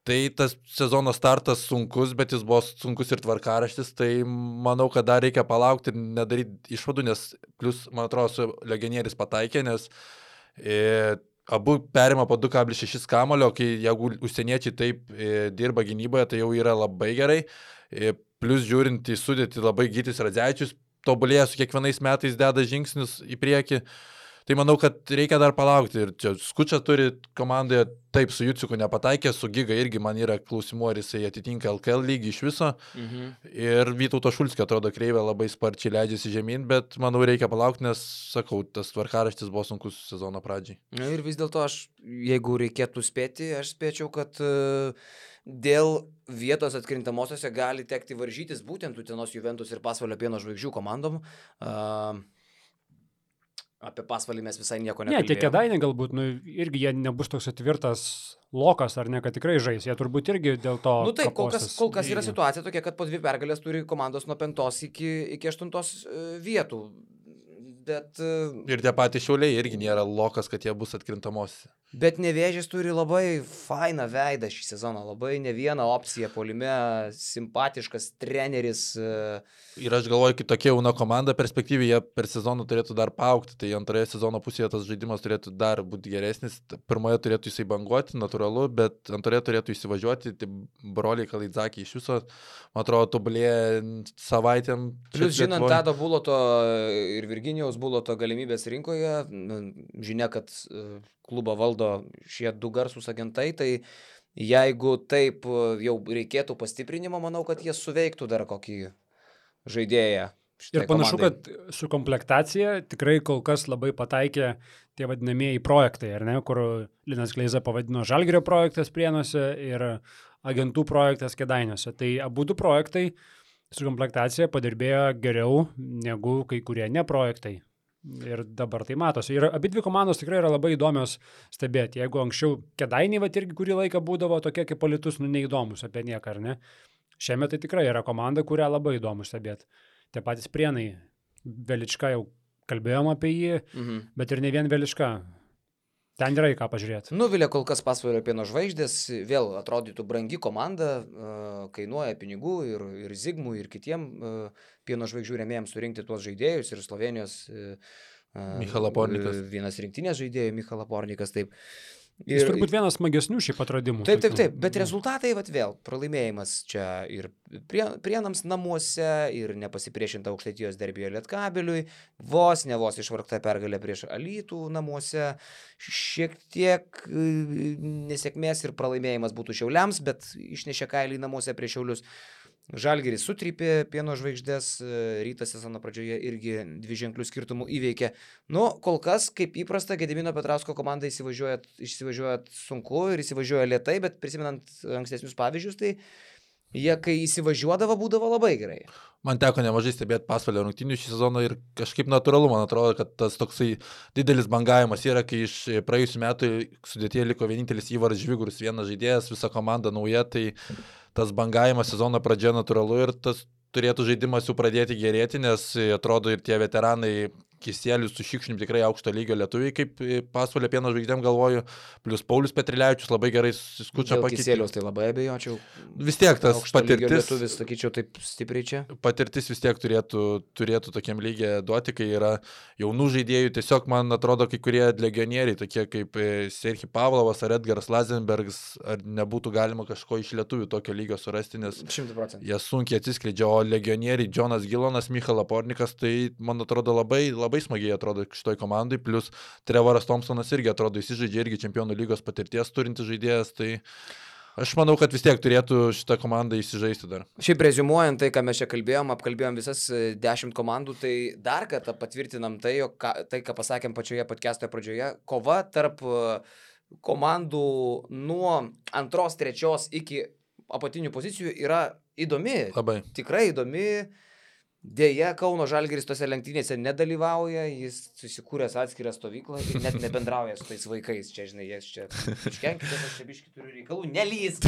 Tai tas sezono startas sunkus, bet jis buvo sunkus ir tvarkaraštis, tai manau, kad dar reikia palaukti ir nedaryti išvadų, nes plus, man atrodo, su legionieriais pataikė, nes e, abu perima po du kablelis šeši kamulio, kai jeigu užsieniečiai taip e, dirba gynyboje, tai jau yra labai gerai. Plus žiūrint į sudėtį, labai Gytis Radzevičius tobulėja su kiekvienais metais deda žingsnius į priekį. Tai manau, kad reikia dar palaukti. Ir čia Skučia turi komandoje, taip, su Juciuku nepataikė, su Giga irgi man yra klausimų, ar jisai atitinka L K L lygį iš viso. Mhm. Ir Vytauto Šulskio atrodo kreivė labai sparčiai leidžiasi žemyn, bet manau reikia palaukti, nes, sakau, tas tvarkaraštis buvo sunkus sezono pradžiai. Na ir vis dėlto aš, jeigu reikėtų spėti, aš spėčiau, kad uh, dėl vietos atkrintamosiose gali tekti varžytis būtent Utenos Juventus ir Pasvalio Pieno žvaigždžių komandom. Uh, Apie Pasvalį mes visai nieko nekalbėjome. Ne, tie Kėdainiai galbūt, nu, irgi jie nebus toks atvirtas lokas, ar ne, kad tikrai žais. Jie turbūt irgi dėl to... Nu taip, kol kas, kol kas yra situacija tokia, kad po dvi pergalės turi komandos nuo penktos iki, iki aštuntos vietų. Bet... Ir tie patys Šiauliai irgi nėra lokas, kad jie bus atkrintamosiose. Bet Nevėžis turi labai fainą veidą šį sezoną, labai ne vieną opciją puolime, simpatiškas treneris. Ir aš galvoju, kitokia jauna komanda perspektyviai, jie per sezoną turėtų dar paaugti, tai antroje sezono pusėje tas žaidimas turėtų dar būti geresnis, pirmoje turėtų jisai banguoti, natūralu, bet antroje turėtų įsivažiuoti, tai broliai Kalaidzakį iš viso, man atrodo, tobulėja savaitėm. Plius žinant Tado Buloto ir Virginijaus Buloto galimybės rinkoje, žinia, kad klubą valdo šie du garsūs agentai, tai jeigu taip jau reikėtų pastiprinimo, manau, kad jie suveiktų dar kokį žaidėją. Ir panašu, komandai. Kad su komplektacija tikrai kol kas labai pataikė tie vadinamieji projektai, ar ne, kur Linas Kleiza pavadino Žalgirio projektas Prienuose ir agentų projektas Kėdainiuose. Tai abu du projektai su komplektacija padirbėjo geriau negu kai kurie ne projektai. Ir dabar tai matosi. Ir abi dvi komandos tikrai yra labai įdomios stebėti. Jeigu anksčiau Kėdainiai vat irgi kurį laiką būdavo tokie kaip Alytus, nu neįdomus apie nieką, ar ne? Šiemet tai tikrai yra komanda, kurią labai įdomu stebėti. Tie patys Prienai, Velička jau kalbėjom apie jį, mhm. bet ir ne vien Velička. Ten yra į ką pažiūrėti. Nuvilė kol kas Pasvalio Pieno žvaigždės, vėl atrodytų brangi komanda, kainuoja pinigų ir, ir Zigmui, ir kitiem Pieno žvaigždžių rėmėjams surinkti tuos žaidėjus, ir Slovenijos Michala Pornikas. Vienas rinktinės žaidėjų, Michala Pornikas, taip. Ir, Jis turbūt vienas smagesnių šiaip atradimų. Taip, taip, taip, bet rezultatai, vat vėl, pralaimėjimas čia ir prie, Prienams namuose, ir nepasipriešinta Aukštaitijos derbyje Lietkabeliui, vos, ne vos išvargta pergalė prieš Alytų namuose, šiek tiek nesėkmės ir pralaimėjimas būtų Šiauliams, bet išnešė kailį namuose prieš Šiaulius. Žalgiris sutrypė Pieno žvaigždės, Rytas sezono pradžioje irgi dvi ženklių skirtumų įveikė. Nu, kol kas, kaip įprasta, Gedimino Petrausko komanda įsivažiuoja, įsivažiuoja sunku ir įsivažiuoja lėtai, bet prisimenant ankstesnius pavyzdžius, tai jie, kai įsivažiuodavo, būdavo labai gerai. Man teko nemažai stebėti Pasvalio rungtynių šį sezoną ir kažkaip natūralu, man atrodo, kad tas toksai didelis bangavimas yra, kai iš praėjusių metų sudėtyje liko vienintelis Įvaras Žvigurus, vienas žaidėjas, visa komanda nauja, tai tas bangavimas sezono pradžia natūralu ir tas turėtų žaidimas jau pradėti gerėti, nes atrodo ir tie veteranai Kisielius su Šikšnim tikrai aukšto lygio lietuviai, kaip Pasvalio Pieno žvaigždėm galvoju, plus Paulius Petrilevičius labai gerai Skučia pakeitė. Kisielius tai labai abejočiau. Vis tiek tas aukšto patirtis, lietuvis, sakyčiau, taip stipriai čia. Patirtis vis tiek turėtų, turėtų tokiam lygiai duoti, kai yra jaunų žaidėjų. Tiesiog man atrodo, kai kurie legionieriai, tokie kaip Serhij Pavlovas ar Edgaras Lazenbergas, ar nebūtų galima kažko iš lietuvių tokio lygio surasti, nes šimtu procentų jie sunkiai atsiskleidžia, o legionieriai Džonas Gilonas, Michala Pornikas, tai man atrodo labai, labai smagiai atrodo šitoj komandai, plus Trevoras Thompsonas irgi atrodo įsižaidžia, irgi čempionų lygos patirties turintis žaidėjas, tai aš manau, kad vis tiek turėtų šitą komandą įsižaisti dar. Šiaip reziumuojant tai, ką mes čia kalbėjom, apkalbėjom visas dešimt komandų, tai dar kartą patvirtinam tai, jog ką, tai, ką pasakėm pačioje podcast'o pradžioje, kova tarp komandų nuo antros, trečios iki apatinių pozicijų yra įdomi. Labai. Tikrai įdomi. Deja, Kauno Žalgiris tose lenktynėse nedalyvauja, jis susikūręs atskirą stovyklą ir net nebendrauja su tais vaikais. Čia, žinai, jie čia iškenkite, aš čia biškį turiu reikalų, nelysk.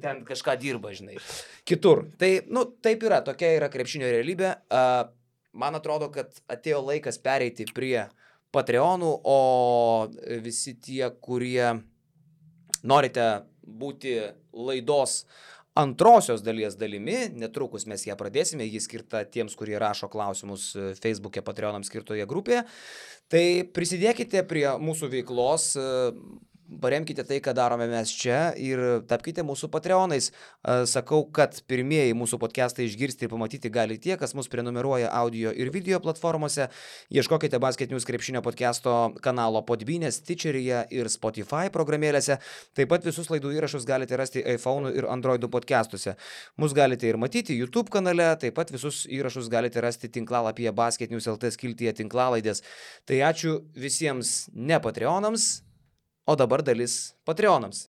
Ten kažką dirba, žinai. Kitur. Tai, nu, taip yra, tokia yra krepšinio realybė. Uh, man atrodo, kad atėjo laikas pereiti prie Patreonų, o visi tie, kurie norite būti laidos antrosios dalies dalimi, netrukus mes ją pradėsime, ji skirta tiems, kurie rašo klausimus Facebook'e Patreonams skirtoje grupėje, tai prisidėkite prie mūsų veiklos, paremkite tai, ką darome mes čia ir tapkite mūsų patreonais. Sakau, kad pirmieji mūsų podcastai išgirsti ir pamatyti gali tie, kas mus prenumeruoja audio ir video platformose. Ieškokite Basket News krepšinio podcasto kanalo Podbean'e, Stitcheryje ir Spotify programėlėse. Taip pat visus laidų įrašus galite rasti iPhone ir Androidų podcastuose. Mus galite ir matyti YouTube kanale, taip pat visus įrašus galite rasti tinklalapyje Basket News L T skiltyje tinklalaidės. Tai ačiū visiems ne Patreonams, o dabar dalis Patreonams.